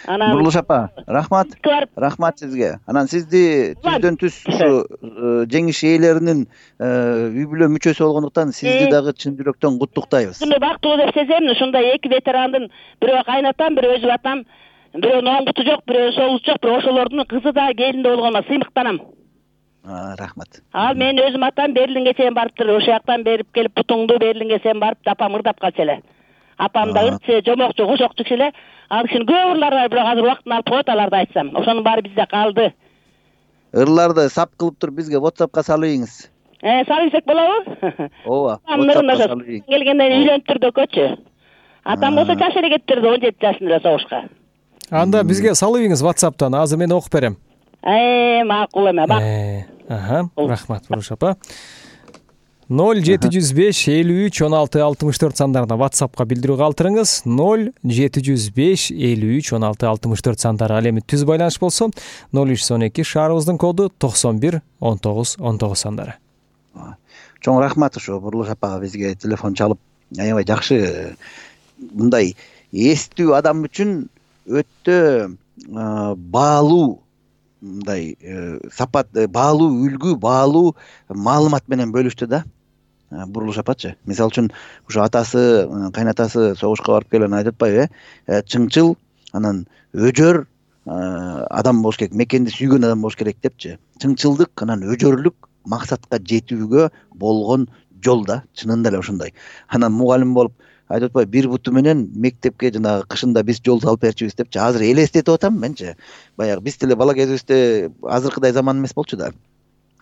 Бурулуш апа, рахмат. Рахмат сизге. Анан сизди түздөн түз ушу жеңиш ээлеринин үй бүлө мүчөсү болгондуктан сизди дагы чын жүрөктөн куттуктайбыз. Ушундай бактылуу деп сезем. Ушундай эки ветерандын бирөө кайнатам, бирөө өзү атам, бирөөнүн оң буту жок, бирөө сол буту жок, бирок ошолордун кызы да келинде болгонуна сыймыктанам. Рахмат. Ал менин өзүм атам Берлинге чейин барыптыр. Ошол жактан берип келип бутуңду Берлинге чейин барып, апам ырдап калчу эле. Апам да ырчы, жомокчу, кошокчу киши эле. Ал кишинин көп ырлары бар, бирок азыр убактын алып коет аларды айтсам. Ошонун баары бизде калды. Ырларды сап кылып туруп бизге WhatsAppка салыйыңыз. Э, салып берсек болобу? Ооба. WhatsAppка салыйыңыз. Келгенден үйлөнүптүр дөкөчү. Атам болсо жаш эле кетти, он жети жашында эле согушка. Анда бизге салып ийиңиз WhatsApp'тан, азыр мен окуп берем. Э, макул эме, бак. Аха, рахмат Буруш апа. ноль жети жүз беш элүү үч он алты алтымыш төрт сандарына WhatsApp'ка билдирүү калтырыңыз. ноль жети жүз беш элүү үч он алты алтымыш төрт сандары. Ал эми түз байланыш болсо ноль үч жүз он эки шаарыбыздын коду токсон бир он тогуз он тогуз сандары. Чоң рахмат ушу Буруш апага бизге телефон чалып, аябай жакшы мындай эстүү адам үчүн өтө баалуу мындай сапат, баалуу үлгү, баалуу маалымат менен бөлүштү да. Буруш апачы, мисалы үчүн ушу атасы, кайнатасы согушка барып келген айтып атпайбы, э чыңчыл, анан өжөр адам болуш керек, мекенди сүйгөн адам болуш керек депчи. Чыңчылдык анан өжөрлүк максатка жетүүгө болгон жол да, чынында эле ошондой. Анан мугалим болуп айтып атпайбы, бир буту менен мектепке жанагы кышында биз жол салып берчүбүз депчи. Азыр элестетип атам менчи. Баягы биз деле бала кезибизде азыркыдай заман эмес болчу да.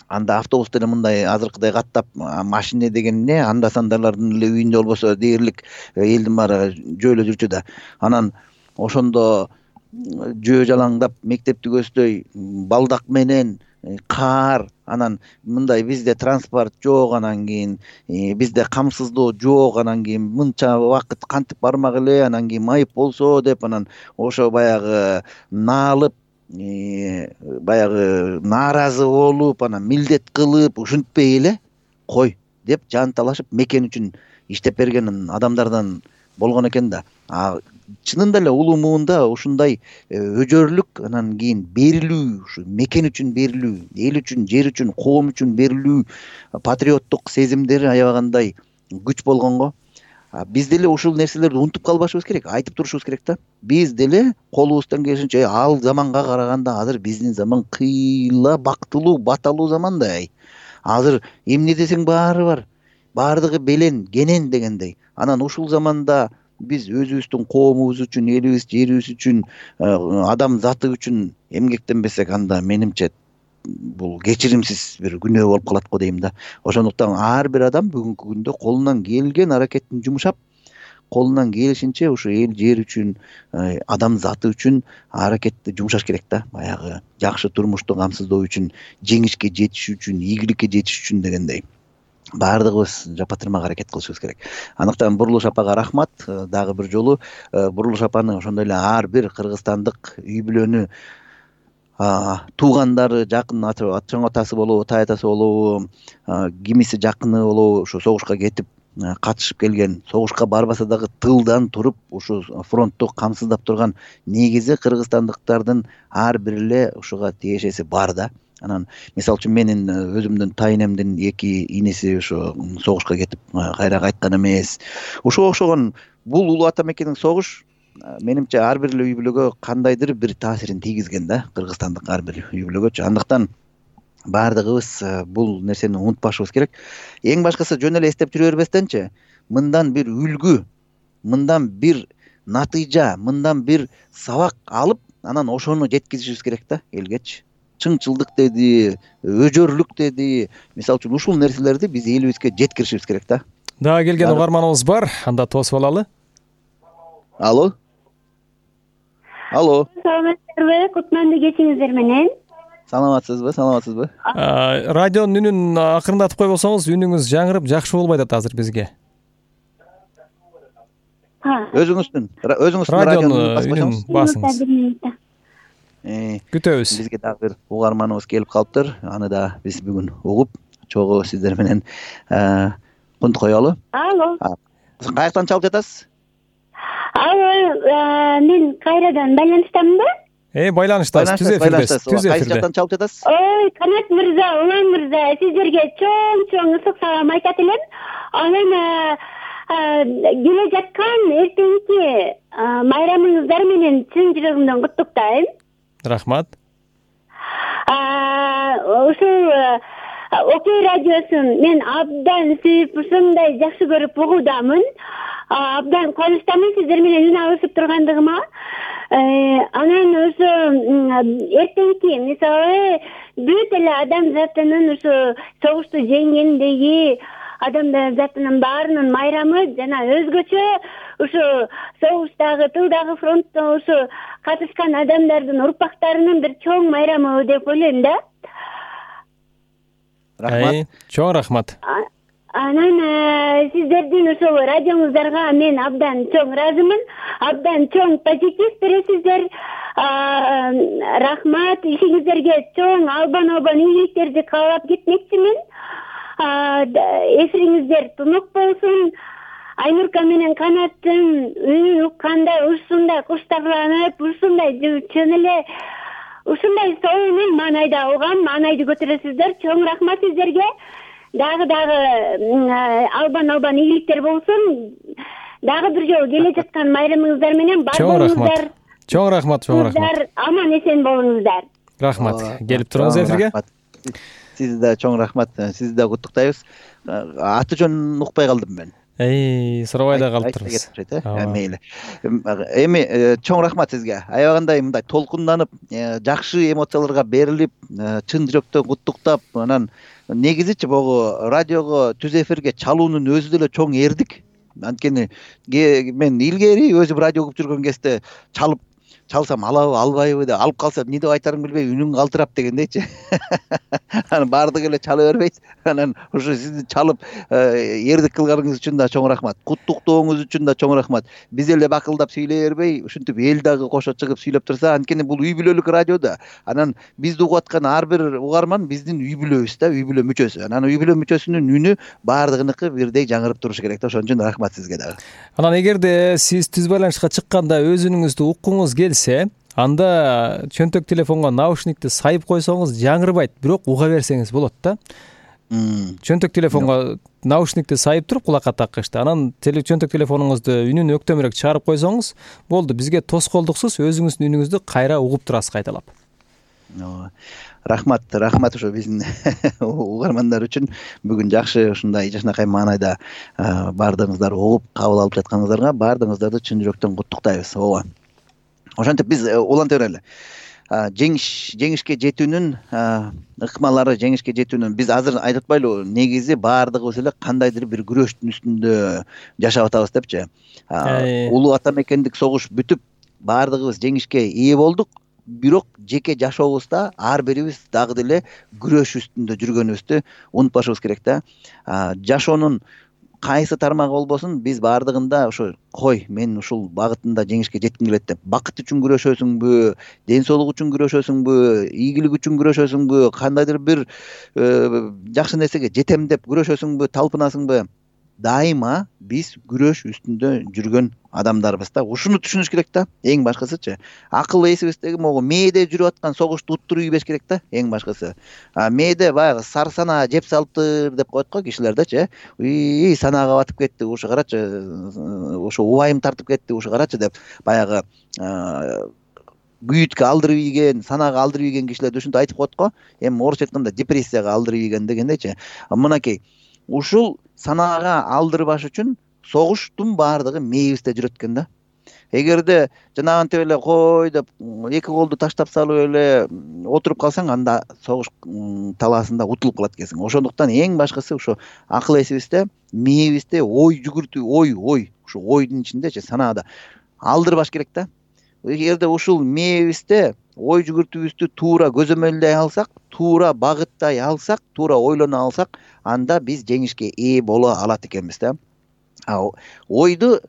Анда автобус деле мындай азыркыдай каттап, машина деген эмне, анда сандарлардын эле үйүндө болбосо дээрлик элдин баары жөөлө жүрчү да. Анан ошондо жөө жалаңдап мектепти көздөй балдак менен каар, анан мындай бизде транспорт жок, анан кийин бизде камсыздоо жок, анан кийин мынча убакыт кантип бармак эле, анан кийин майып болсо деп, анан ошо баягы наалып, баягы нааразы болуп, анан милдет кылып, ушинтпей эле кой деп жан талашып мекен үчүн иштеп берген адамдардан болгон экен да. Чынында эле улуу муунда ушундай өжөрлүк, анан кийин берилүү, ушу мекен үчүн берилүү, эл үчүн, жер үчүн, коом үчүн берилүү патриоттук сезимдери аябагандай күч болгонго, биз деле ушул нерселерди унутуп калбашыбыз керек, айтып турушубуз керек да. Биз деле колубуздан келишинче, ал заманга караганда азыр биздин заман кыйла бактылуу, баталуу заман да. Азыр эмне десең баары бар. Баардыгы белен, кенен дегендей. Анан ушул заманда биз өзүбүздүн коомубуз үчүн, элибиз, жерибиз үчүн, адам заты үчүн эмгектенбесек, анда менимче бул кечиримсиз бир күнөө болуп калат го дейм да. Ошондуктан ар бир адам бүгүнкү күндө колунан келген аракетин жумшап, колунан келишинче ушу эл, жер үчүн, адам заты үчүн аракетти жумшаш керек да. Баягы жакшы турмушту камсыздоо үчүн, жеңишке жетиш үчүн, ийгиликке жетиш үчүн дегендей. Баардыгыбыз жапатырмак аракет кылышыбыз керек. Андыктан Буруш апага рахмат. Дагы бир жолу Буруш апаны ошондой эле ар бир кыргызстандык үй бүлөнү, туугандары, жакын чоң атасы болобу, тай атасы болобу, кимиси жакыны болобу, ушу согушка кетип катышып келген, согушка барбаса дагы тылдан туруп ушу фронтту камсыздап турган негизи кыргызстандыктардын ар бир эле ушуга тиешеси бар да. Анан мисалы үчүн менин өзүмдүн тайнемдин эки иниси ушу согушка кетип кайра кайткан эмес. Ушуга окшогон бул улуу ата мекендин согуш менимче ар бир эле үй бүлөгө кандайдыр бир таасирин тийгизген да, кыргызстандык ар бир үй бүлөгөчү. Андыктан баардыгыбыз бул нерсени унутпашыбыз керек. Эң башкысы жөн эле эстеп жүрө бербестенчи, мындан бир үлгү, мындан бир натыйжа, мындан бир сабак алып, анан ошону жеткизишибиз керек да элгечи. Чыңчылдык деди, өжөрлүк деди. Мисалы үчүн ушул нерселерди биз элибизге жеткиришибиз керек да. Дагы келген угарманыбыз бар. Анда тосуп алалы. Алло. Алло. Саламатсызбы? Кутмандуу кечиңиздер менен. Саламатсызбы? Саламатсызбы? Радионун үнүн акырындатып койбосоңуз, үнүңүз жаңырып, жакшы болбой атат азыр бизге. Өзүңүздүн, өзүңүздүн радионун үнүн басыңыз. Күтөбүз. Бизге дагы бир угарманыбыз келип калыптыр. Аны да биз бүгүн угуп, чогуу сиздер менен кунт коелу. Алло. Каяктан чалып жатасыз? Алло, мен кайрадан байланыштамынбы? Э, байланыштасыз, түз эфирдесиз, түз эфирде. Кайсы жактан чалып жатасыз? Ой, Канат мырза, Улан мырза, сиздерге чоң-чоң ысык салам айтат элем. Анан келе жаткан эртеңки майрамыңыздар менен чын жүрөгүмдөн куттуктайм. Рахмат. Ушул Окей радиосун мен абдан сүйүп, ушундай жакшы көрүп угуудамын. Абдан кубанычтамын сиздер менен үн алышып тургандыгыма. Анан ошо эртеңки мисалы бүт эле адам затынын ушу согушту жеңгендеги адамдар затынын баарынын майрамы жана өзгөчө ушу согуштагы тылдагы фронтто ушу катышкан адамдардын урпактарынын бир чоң майрамы деп ойлойм да. Рахмат. Чоң рахмат. Анан сиздердин ошол радиоңуздарга мен абдан чоң ыраазымын. Абдан чоң позитив бересиздер. Рахмат. Ишиңиздерге чоң албан албан ийгиликтерди каалап кетмекчимин. Эфириңиздер тунук болсун. Айнурка менен Канаттын үнүн укканда ушундай куштарланып, ушундай чын эле ушундай сонун маанайда угам, маанайды көтөрөсүздөр. Чоң рахмат сиздерге. Дагы дагы албан албан ийгиликтер болсун. Дагы бир жолу келе жаткан майрамыңыздар менен бар болуңуздар. Чоң рахмат, чоң рахмат. Аман эсен болуңуздар. Рахмат. Келип туруңуз эфирге. Сизге да чоң рахмат. Сизди да куттуктайбыз. Аты жөнүн укпай калдым мен. Эй, сурабай да калыптырбыз. Мейли. Эми чоң рахмат сизге. Аябагандай мындай толкунданып, жакшы эмоцияларга берилип, чын жүрөктөн куттуктап, анан негизичи могу радиого түз эфирге чалуунун өзү деле чоң эрдик. Анткени мен илгери өзүм радио угуп жүргөн кезде чалып чалсам алабы, албайбы деп алып калсам эмне деп айтарымды билбей үнүң калтырап дегендейчи. Анан баардыгы эле чала бербейт. Анан ушу сизди чалып эрдик кылганыңыз үчүн да чоң рахмат. Куттуктооңуз үчүн да чоң рахмат. Биз эле бакылдап сүйлөй бербей, ушинтип эл дагы кошо чыгып сүйлөп турса, анткени бул үй бүлөлүк радио да. Анан бизди угуп аткан ар бир угарман биздин үй бүлөбүз да, үй бүлө мүчөсү. Анан үй бүлө мүчөсүнүн үнү баардыгыныкы бирдей жаңырып турушу керек да. Ошон үчүн рахмат сизге дагы. Анан эгерде сиз түз байланышка чыкканда өз үнүңүздү уккуңуз келсе, анда чөнтөк телефонго наушникти сайып койсоңуз жаңырбайт, бирок уга берсеңиз болот да. Чөнтөк телефонго наушникти сайып туруп кулакка таккычты. Анан чөнтөк телефонуңузду үнүн өктөмүрөөк чыгарып койсоңуз болду. Бизге тоскоолдуксуз өзүңүздүн үнүңүздү кайра угуп турасыз кайталап. Рахмат, рахмат ошо биздин угармандар үчүн бүгүн жакшы ушундай жакшынакай маанайда баардыгыңыздар угуп кабыл алып жатканыңыздарга баардыгыңыздарды чын жүрөктөн куттуктайбыз. Ооба. Ошентип биз уланта берели. Жеңиш жеңишке жетүүнүн ыкмалары, жеңишке жетүүнүн биз азыр айтып атпайлыбы, негизи баардыгыбыз эле кандайдыр бир күрөштүн үстүндө жашап атабыз депчи. Улуу ата мекендик согуш бүтүп, баардыгыбыз жеңишке ээ болдук, бирок жеке жашообузда ар бирибиз дагы деле күрөш үстүндө жүргөнүбүздү унутпашыбыз керек да. Жашоонун кайсы тармагы болбосун, биз баардыгында ошо кой, мен ушул багытында жеңишке жетким келет деп, бакыт үчүн күрөшөсүңбү, ден соолук үчүн күрөшөсүңбү, ийгилик үчүн күрөшөсүңбү, кандайдыр бир жакшы нерсеге жетем деп күрөшөсүңбү, талпынасыңбы, дайыма биз күрөш үстүндө жүргөн адамдарбыз да. Ушуну түшүнүш керек да. Эң башкысычы, акыл эсибиздеги могу мээде жүрүп аткан согушту уттуруп ийбеш керек да. Эң башкысы. А мээде баягы сары санаа жеп салыптыр деп коет го кишилердечи. Уй, санаага батып кетти, ушу карачы, ушу убайым тартып кетти, ушу карачы деп баягы күйүткө алдырып ийген, санаага алдырып ийген кишилерди ушинтип айтып коет го. Эми орусча айтканда депрессияга алдырып ийген дегендейчи. Мынакей, ушул санаага алдырбаш үчүн согуштун баардыгы мээбизде жүрөт экен да. Эгерде жанагынтип эле кой деп эки колду таштап салып эле отуруп калсаң, анда согуш талаасында утулуп калат экенсиң. Ошондуктан эң башкысы ошо акыл эсибизде, мээбизде ой жүгүртүү, ой, ой, ушу ойдун ичиндечи санаада алдырбаш керек да. Эгерде ушул мээбизде ой жүгүртүүбүздү туура көзөмөлдөй алсак, туура багыттай алсак, туура ойлоно алсак, анда биз жеңишке ээ боло алат экенбиз да. Ойду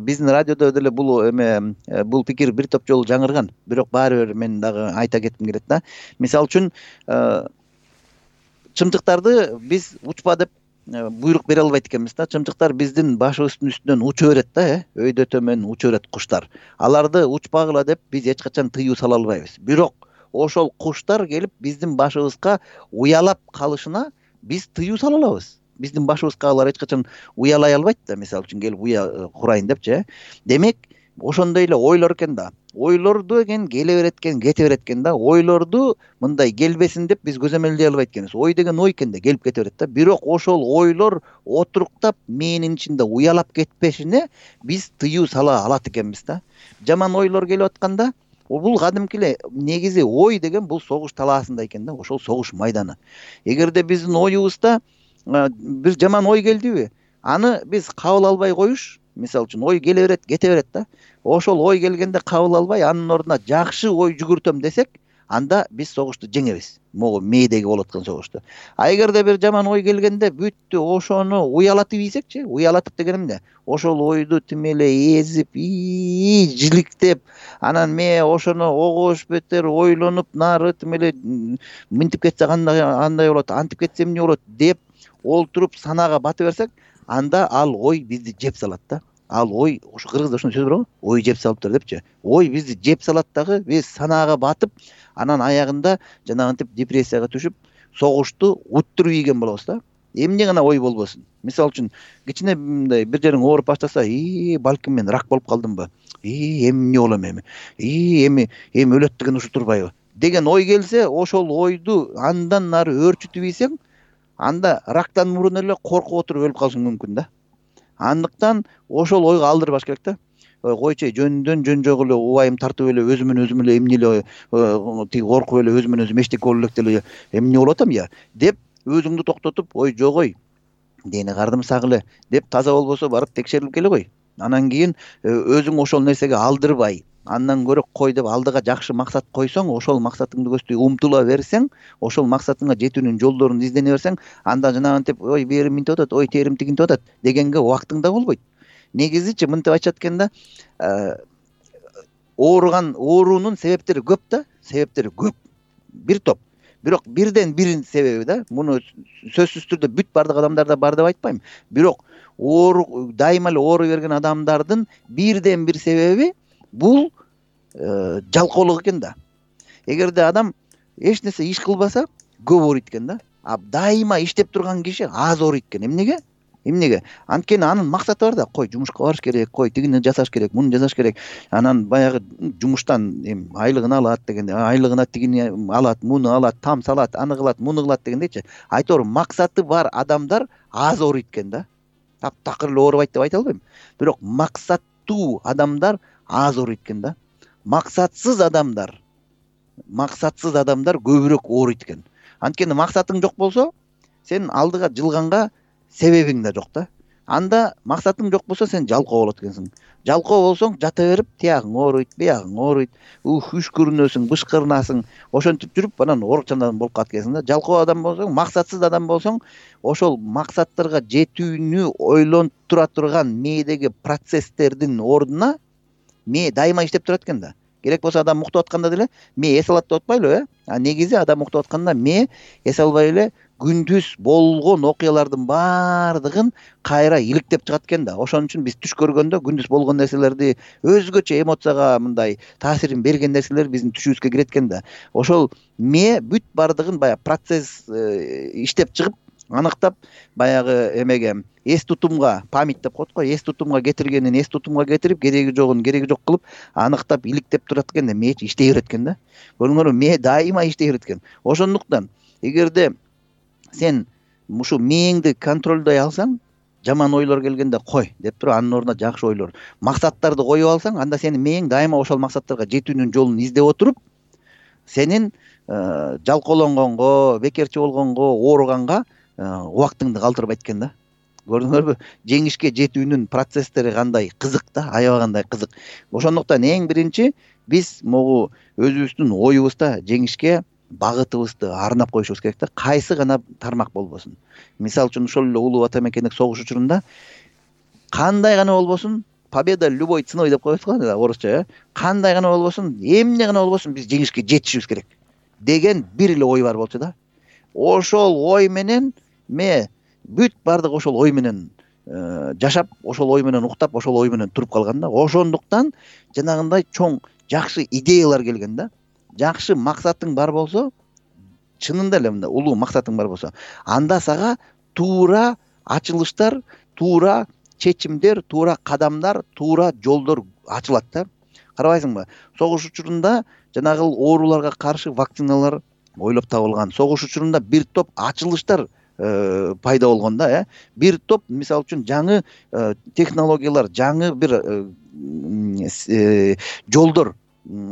биздин радиодо деле бул эме бул пикир бир топ жолу жаңырган, бирок баары бир мен дагы айта кетким келет да. Мисалы үчүн чымчыктарды биз учпа деп буйрук бере албайт экенбиз да. Чымчыктар биздин башыбыздын үстүнөн уча берет да, э, өйдө төмөн уча берет куштар. Аларды учпагыла деп биз эч качан тыюу сала албайбыз. Бирок ошол куштар келип биздин башыбызга уялап калышына биз тыюу сала алабыз. Биздин башыбызга алар эч качан уялай албайт да, мисалы үчүн келип уя курайын депчи. Демек, ошондой эле ойлор экен да. Ойлорду экен келе берет экен, кете берет экен да. Ойлорду мындай келбесин деп биз көзөмөлдөй албайт экенбиз. Ой деген ой экен да, келип кете берет да. Бирок ошол ойлор отуруктап мээнин ичинде уялап кетпешине биз тыюу сала алат экенбиз да. Жаман ойлор келип атканда, бул кадимки эле негизи ой деген бул согуш талаасында экен да, ошол согуш майданы. Эгерде биздин оюбузда бир жаман ой келдиби, аны биз кабыл албай коюш. Мисалы үчүн ой келе берет, кете берет да. Ошол ой келгенде кабыл албай, анын ордуна жакшы ой жүгүртөм десек, анда биз согушту жеңебиз. Могу мээдеги болуп аткан согушту. А эгерде бир жаман ой келгенде бүттү ошону уялатып ийсекчи, уялатып дегеним эмне? Ошол ойду тим эле эзип, жиликтеп, анан мээ ошону огош бетер ойлонуп, нары тим эле мынтип кетсе кандай андай болот, антип кетсе эмне болот деп олтуруп санаага батып берсек, анда ал ой бизди жеп салат да. Ал ой, ошо кыргызда ошондой сөз бар го, ой жеп салыптыр депчи. Ой бизди жеп салат дагы, биз санаага батып, анан аягында жанагынтип депрессияга түшүп, согушту уттуруп ийген болобуз да. Эмне гана ой болбосун. Мисалы үчүн, кичине мындай бир жериң ооруп баштаса, и балким мен рак болуп калдымбы? И эмне болом эми? И эми эми өлөт деген ушу турбайбы? Деген ой келсе, ошол ойду андан нары өөрчүтүп ийсең, анда рактан мурун эле коркуп отуруп өлүп калышың мүмкүн да. Андыктан ошол ойго алдырбаш керек да. Койчу жөндөн жөн жок эле убайым тартып эле өзүмөн өзүм эле эмне эле тиги коркуп эле өзүмөн өзүм эчтеке болуп элек деле эмне болуп атам я деп өзүңдү токтотуп, ой жок ой, дени кардым сагыле деп таза болбосо барып текшерип келе кой. Анан кийин өзүң ошол нерсеге алдырбай, андан көрө кой деп алдыга жакшы максат койсоң, ошол максатыңды көздөй умтула берсең, ошол максатыңа жетүүнүн жолдорун издене берсең, анда жанагынтип ой берим минтип атат, ой терим тигинтип атат дегенге убактың да болбойт. Негизичи мынтип айтышат экен да, ооруган оорунун себептери көп да, себептери көп. Бир топ. Бирок бирден биринин себеби да, муну сөзсүз түрдө бүт бардык адамдарда бар деп айтпайм. Бирок оору дайыма эле оору берген адамдардын бирден бир себеби бул жалкоолук экен да. Эгерде адам эч нерсе иш кылбаса, көп ооруйт экен да. А дайыма иштеп турган киши аз ооруйт экен. Эмнеге? Эмнеге? Анткени анын максаты бар да. Кой жумушка барыш керек, кой тигини жасаш керек, муну жасаш керек. Анан баягы жумуштан эми айлыгын алат дегенде, айлыгына тигини алат, муну алат, там салат, аны кылат, муну кылат дегендейчи. Айтор максаты бар адамдар аз ооруйт экен да. Таптакыр эле оорубайт деп айта албайм. Бирок максаттуу адамдар аз ооруйт экен да. Максатсыз адамдар, максатсыз адамдар көбүрөөк ооруйт экен. Анткени максатың жок болсо, сен алдыга жылганга себебиң да жок да. Анда максатың жок болсо, сен жалкоо болот экенсиң. Жалкоо болсоң, жата берип, тиягың ооруйт, биягың ооруйт, ух үшкүрүнөсүң, бышкырынасың, ошентип жүрүп, анан оорукчандан болуп калат экенсиң да. Жалкоо адам болсоң, максатсыз адам болсоң, ошол максаттарга жетүүнү ойлонуп тура турган мээдеги процесстердин ордуна мээ дайыма иштеп турат экен да. Керек болсо адам уктап атканда деле мээ эс алат деп атпайлыбы, э? А негизи адам уктап атканда мээ эс албай эле күндүз болгон окуялардын баардыгын кайра иликтеп чыгат экен да. Ошон үчүн биз түш көргөндө күндүз болгон нерселерди өзгөчө эмоцияга мындай таасирин берген нерселер биздин түшүбүзгө кирет экен да. Ошол мээ бүт баардыгын баягы процесс иштеп чыгып, аныктап баягы эмеге эс тутумга, память деп коет го, эс тутумга кетиргенин эс тутумга кетирип, кереги жогун кереги жок кылып, аныктап иликтеп турат экен да, мээ иштей берет экен да. Көрдүңөрбү, мээ дайыма иштей берет экен. Ошондуктан эгерде сен ушу мээңди контролдой алсаң, жаман ойлор келгенде кой деп туруп, анын ордуна жакшы ойлор, максаттарды коюп алсаң, анда сенин мээң дайыма ошол максаттарга жетүүнүн жолун издеп отуруп, сенин жалкоолонгонго, бекерчи болгонго, ооруганга убактыңды калтырбайт экен да. Көрдүңөрбү? Жеңишке жетүүнүн процесстери кандай кызык да, аябагандай кызык. Ошондуктан эң биринчи биз могу өзүбүздүн оюбузда жеңишке багытыбызды арнап коюшубуз керек да. Кайсы гана тармак болбосун. Мисалы үчүн ошол эле улуу ата мекендик согуш учурунда кандай гана болбосун, победа любой ценой деп коет го орусча, э? Кандай гана болбосун, эмне гана болбосун, биз жеңишке жетишибиз керек деген бир эле ой бар болчу да. Ошол ой менен ме бүт бардык ошол ой менен жашап, ошол ой менен уктап, ошол ой менен туруп калган да. Ошондуктан жанагындай чоң жакшы идеялар келген да. Жакшы максатың бар болсо, чынында эле мындай улуу максатың бар болсо, анда сага туура ачылыштар, туура чечимдер, туура кадамдар, туура жолдор ачылат да. Карабайсыңбы? Согуш учурунда жанагы ооруларга каршы вакциналар ойлоп табылган. Согуш учурунда бир топ ачылыштар пайда болгон да, э? Бир топ, мисалы үчүн, жаңы технологиялар, жаңы бир жолдор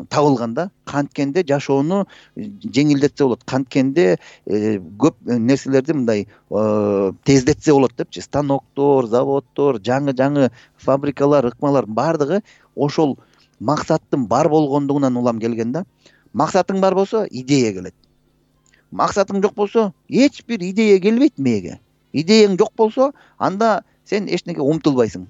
табылганда канткенде жашоону жеңилдетсе болот, канткенде көп нерселерди мындай тездетсе болот депчи. Станоктор, заводдор, жаңы жаңы фабрикалар, ыкмалар баардыгы ошол максаттын бар болгондугунан улам келген да. Максатың бар болсо идея келет. Максатың жок болсо эч бир идея келбейт мээге. Идеяң жок болсо анда сен эч нерсеге умтулбайсың.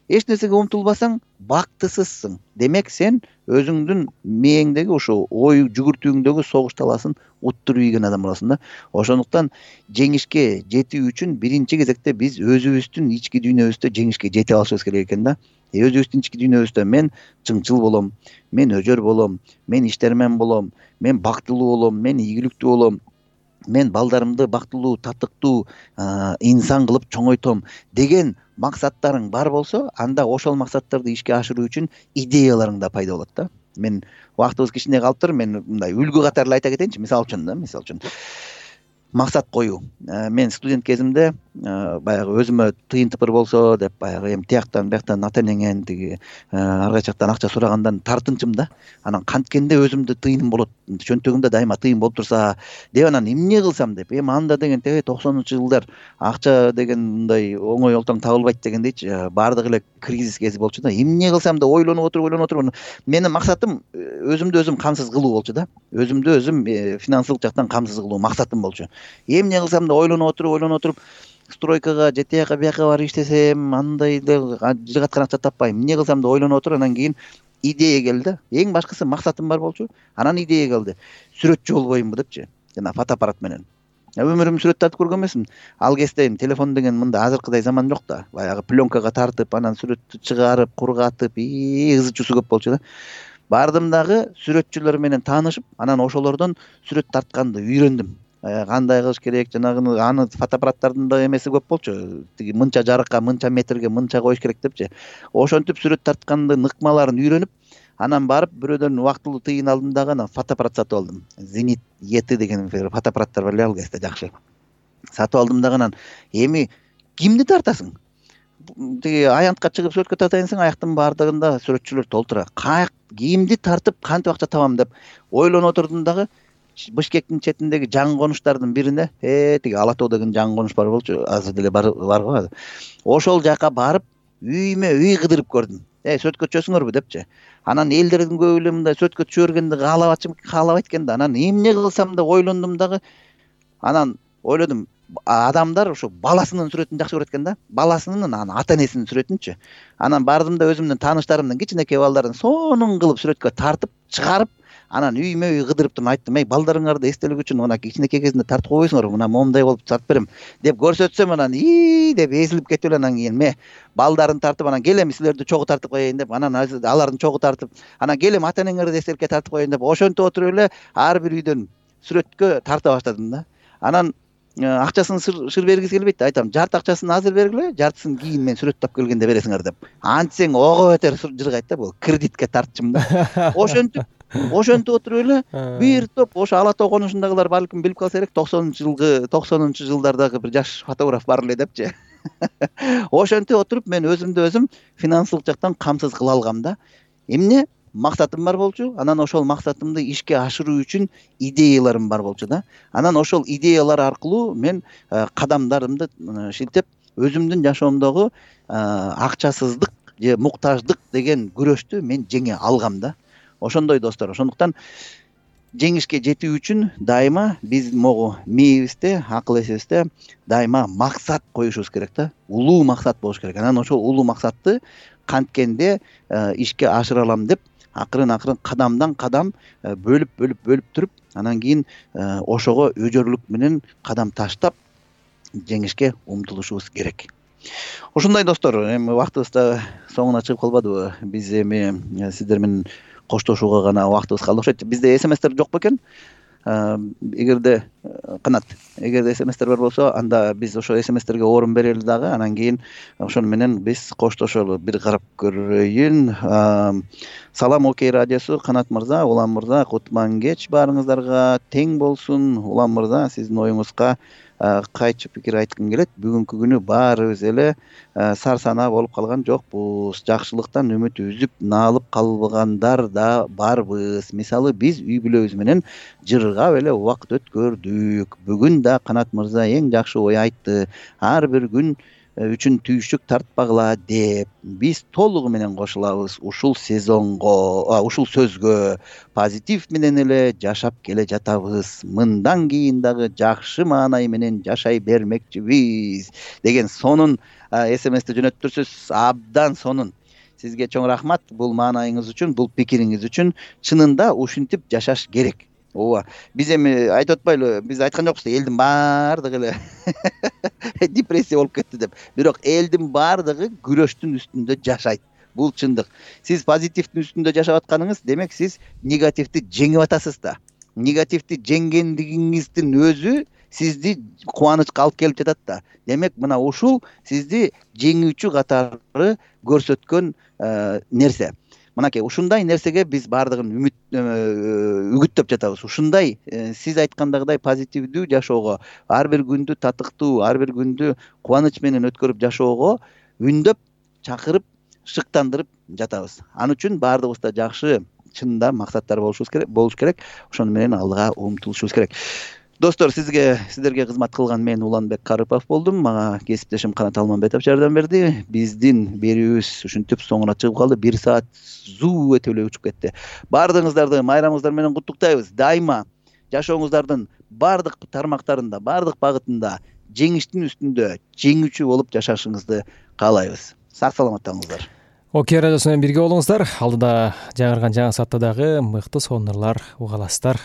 Эч нерсеге умтулбасаң бактысызсың. Демек сен өзүңдүн мээңдеги ошо ой жүгүртүүңдөгү согуш таласын уттуруп ийген адам болосуң да. Ошондуктан жеңишке жетүү үчүн биринчи кезекте биз өзүбүздүн ички дүйнөбүздө жеңишке жете алышыбыз керек экен да. Өзүбүздүн ички дүйнөбүздө мен чыңчыл болом, мен өжөр болом, мен иштермен болом, мен бактылуу болом, мен ийгиликтүү болом, мен балдарымды бактылуу, татыктуу инсан кылып чоңойтом деген максаттарың бар болсо, анда ошол максаттарды ишке ашыруу үчүн идеяларың да пайда болот да. Мен убактыбыз кичине калыптыр, мен мындай үлгү катары айта кетейинчи, мисалы үчүн да, мисалы үчүн максат коюу. Мен студент кезимде баягы өзүмө тыйын тыпыр болсо деп баягы эми тияктан бияктан ата энеңен тиги ар кайчы жактан акча сурагандан тартынчумун да. Анан канткенде өзүмдө тыйыным болот, чөнтөгүмдө дайыма тыйын болуп турса деп анан эмне кылсам деп, эми анда деген теге токсонунчу жылдар акча деген мындай оңой олтоң табылбайт дегендейчи, баардыгы эле кризис кези болчу да. Эмне кылсам деп ойлонуп отуруп ойлонуп отуруп менин максатым өзүмдү өзүм камсыз кылуу болчу да. Өзүмдү өзүм финансылык жактан камсыз кылуу максатым болчу. Эмне кылсам да ойлонуп отуруп ойлонуп отуруп стройкага же тияка бияка барып иштесем андай деле жыгаткан акча таппайм. Эмне кылсам да ойлонуп отуруп анан кийин идея келди. Эң башкысы максатым бар болчу. Анан идея келди. Сүрөтчү болбоймунбу депчи. Жана фотоаппарат менен. Өмүрүм сүрөт тартып көргөн эмесмин. Ал кезде телефон деген мында азыркыдай заман жок да. Баягы пленкага тартып, анан сүрөттү чыгарып, кургатып, ызы чусу көп болчу да. Бардым дагы сүрөтчүлөр менен таанышып, анан ошолордон сүрөт тартканды үйрөндүм. Кандай кылыш керек, жанагы аны фотоаппараттардын да эмеси көп болчу. Тиги мынча жарыкка, мынча метрге, мынча коюш керек депчи. Ошентип сүрөт тарткандын ыкмаларын үйрөнүп, анан барып бирөөдөн убактылуу тыйын алдым дагы, анан фотоаппарат сатып алдым. Зенит Е Т деген фотоаппараттар бар эле ал кезде жакшы. Сатып алдым дагы анан эми кимди тартасың? Тиги аянтка чыгып сүрөткө тартайын десең, аяктын баардыгында сүрөтчүлөр толтура. Каяк кимди тартып кантип акча табам деп ойлонуп отурдум дагы. Бишкектин четиндеги жаңы конуштардын бирине, э тиги Ала тоо деген жаңы конуш бар болчу, азыр деле бар го. Ошол жака барып, үймө үй кыдырып көрдүм. Э сүрөткө түшөсүңөрбү депчи. Анан элдердин көбү эле мындай сүрөткө түшө бергенди каалабачы, каалабайт экен да. Анан эмне кылсам деп ойлондум дагы. Анан ойлодум, адамдар ошо баласынын сүрөтүн жакшы көрөт экен да. Баласынын, анан ата энесинин сүрөтүнчү. Анан бардым да өзүмдүн тааныштарымдын кичинекей балдарын сонун кылып сүрөткө тартып, чыгарып, анан үймө үй кыдырып туруп айттым, эй балдарыңарды эстелик үчүн мына кичинекей кезинде тартып койбойсуңарбы, мына момундай болуп тартып берем деп көрсөтсөм, анан ии деп эзилип кетип эле анан кийин ме балдарын тартып, анан келем силерди чогуу тартып коеюн деп, анан алардын чогуу тартып, анан келем ата энеңерди эстеликке тартып коеюн деп, ошентип отуруп эле ар бир үйдөн сүрөткө тарта баштадым да. Анан акчасын шыр бергиси келбейт, айтам, жарты акчасын азыр бергиле, жартысын кийин мен сүрөт тап келгенде бересиңер деп. Антсең ого бетер жыргайт да, бул кредитке тартчумун да. Ошентип ошентип отуруп эле бир топ ошо Ала тоо конушундагылар балким билип калса керек, токсонунчу жылгы токсонунчу жылдардагы бир жаш фотограф бар эле депчи. Ошентип отуруп мен өзүмдү өзүм финансылык жактан камсыз кыла алгам да. Эмне? Максатым бар болчу, анан ошол максатымды ишке ашыруу үчүн идеяларым бар болчу да. Анан ошол идеялар аркылуу мен кадамдарымды шилтеп, өзүмдүн жашоомдогу акчасыздык же муктаждык деген күрөштү мен жеңе алгам да. Ошондой достор. Ошондуктан жеңишке жетүү үчүн дайыма биз могу мээбизде, акыл эсибизде дайыма максат коюшубуз керек да. Улуу максат болуш керек. Анан ошол улуу максатты канткенде ишке ашыра алам деп акырын акырын кадамдан кадам бөлүп бөлүп бөлүп туруп, анан кийин ошого өжөрлүк менен кадам таштап жеңишке умтулушубуз керек. Ошондой достор, эми убактыбыз да соңуна чыгып калбадыбы? Биз эми сиздер менен коштошууга гана убактыбыз калды окшойт. Бизде эс эм эстер жок бекен? Эгерде Канат, эгерде смстер бар болсо, анда биз ошо смстерге орун берели дагы, анан кийин ошону менен биз коштошолу. Бир карап көрөйүн. Салам Окей радиосу, Канат мырза, Улам мырза, кутман кеч баарыңыздарга тең болсун. Улам мырза, сиздин оюңузга кайчы пикир айткым келет. Бүгүнкү күнү баарыбыз эле сарсанаа болуп калган жокпуз. Жакшылыктан үмүт үзүп, наалып калгандар да барбыз. Мисалы, биз үй бүлөбүз менен жыргап эле убакыт өткөрдүк. Бүгүн да Канат мырза эң жакшы ой айтты. Ар бир күн үчүн түйшүк тартпагыла деп. Биз толугу менен кошулабыз ушул сезонго, ушул сөзгө. Позитив менен эле жашап келе жатабыз. Мындан кийин дагы жакшы маанай менен жашай бермекчибиз деген сонун смсти жөнөттүрсүз. Абдан сонун. Сизге чоң рахмат бул маанайыңыз үчүн, бул пикириңиз үчүн. Чынында ушинтип жашаш керек. Ооба. Биз эми айтып атпайлы, биз айткан жокпуз да элдин баардыгы эле депрессия болуп кетти деп. Бирок элдин баардыгы күрөштүн үстүндө жашайт. Бул чындык. Сиз позитивдин үстүндө жашап атканыңыз, демек сиз негативди жеңип атасыз да. Негативди жеңгендигиңиздин өзү сизди кубанычка алып келип жатат да. Демек мына ушул сизди жеңүүчү катары көрсөткөн нерсе. Мынакей, ушундай нерсеге биз баардыгын үмүт үгүттөп жатабыз. Ушундай сиз айткандагыдай позитивдүү жашоого, ар бир күндү татыктуу, ар бир күндү кубаныч менен өткөрүп жашоого үндөп, чакырып, шыктандырып жатабыз. Ал үчүн баардыгыбызда жакшы, чынында максаттар болушубуз керек, болуш керек. Ошону менен алга умтулушубуз керек. Достор, сизге сиздерге кызмат кылган мен Уланбек Карыпов болдум. Мага кесиптешим Канат Алманбетов жардам берди. Биздин берүүбүз ушинтип соңуна чыгып калды. бир саат зуу өтүп эле учуп кетти. Баардыгыңыздарды майрамыңыздар менен куттуктайбыз. Дайыма жашооңуздардын баардык тармактарында, баардык багытында жеңиштин үстүндө жеңүүчү болуп жашашыңызды каалайбыз. Сак саламаттаңыздар. Окей радиосу менен бирге болуңуздар. Алдыда жаңырган жаңы саатта дагы мыкты сонурлар угаласыздар.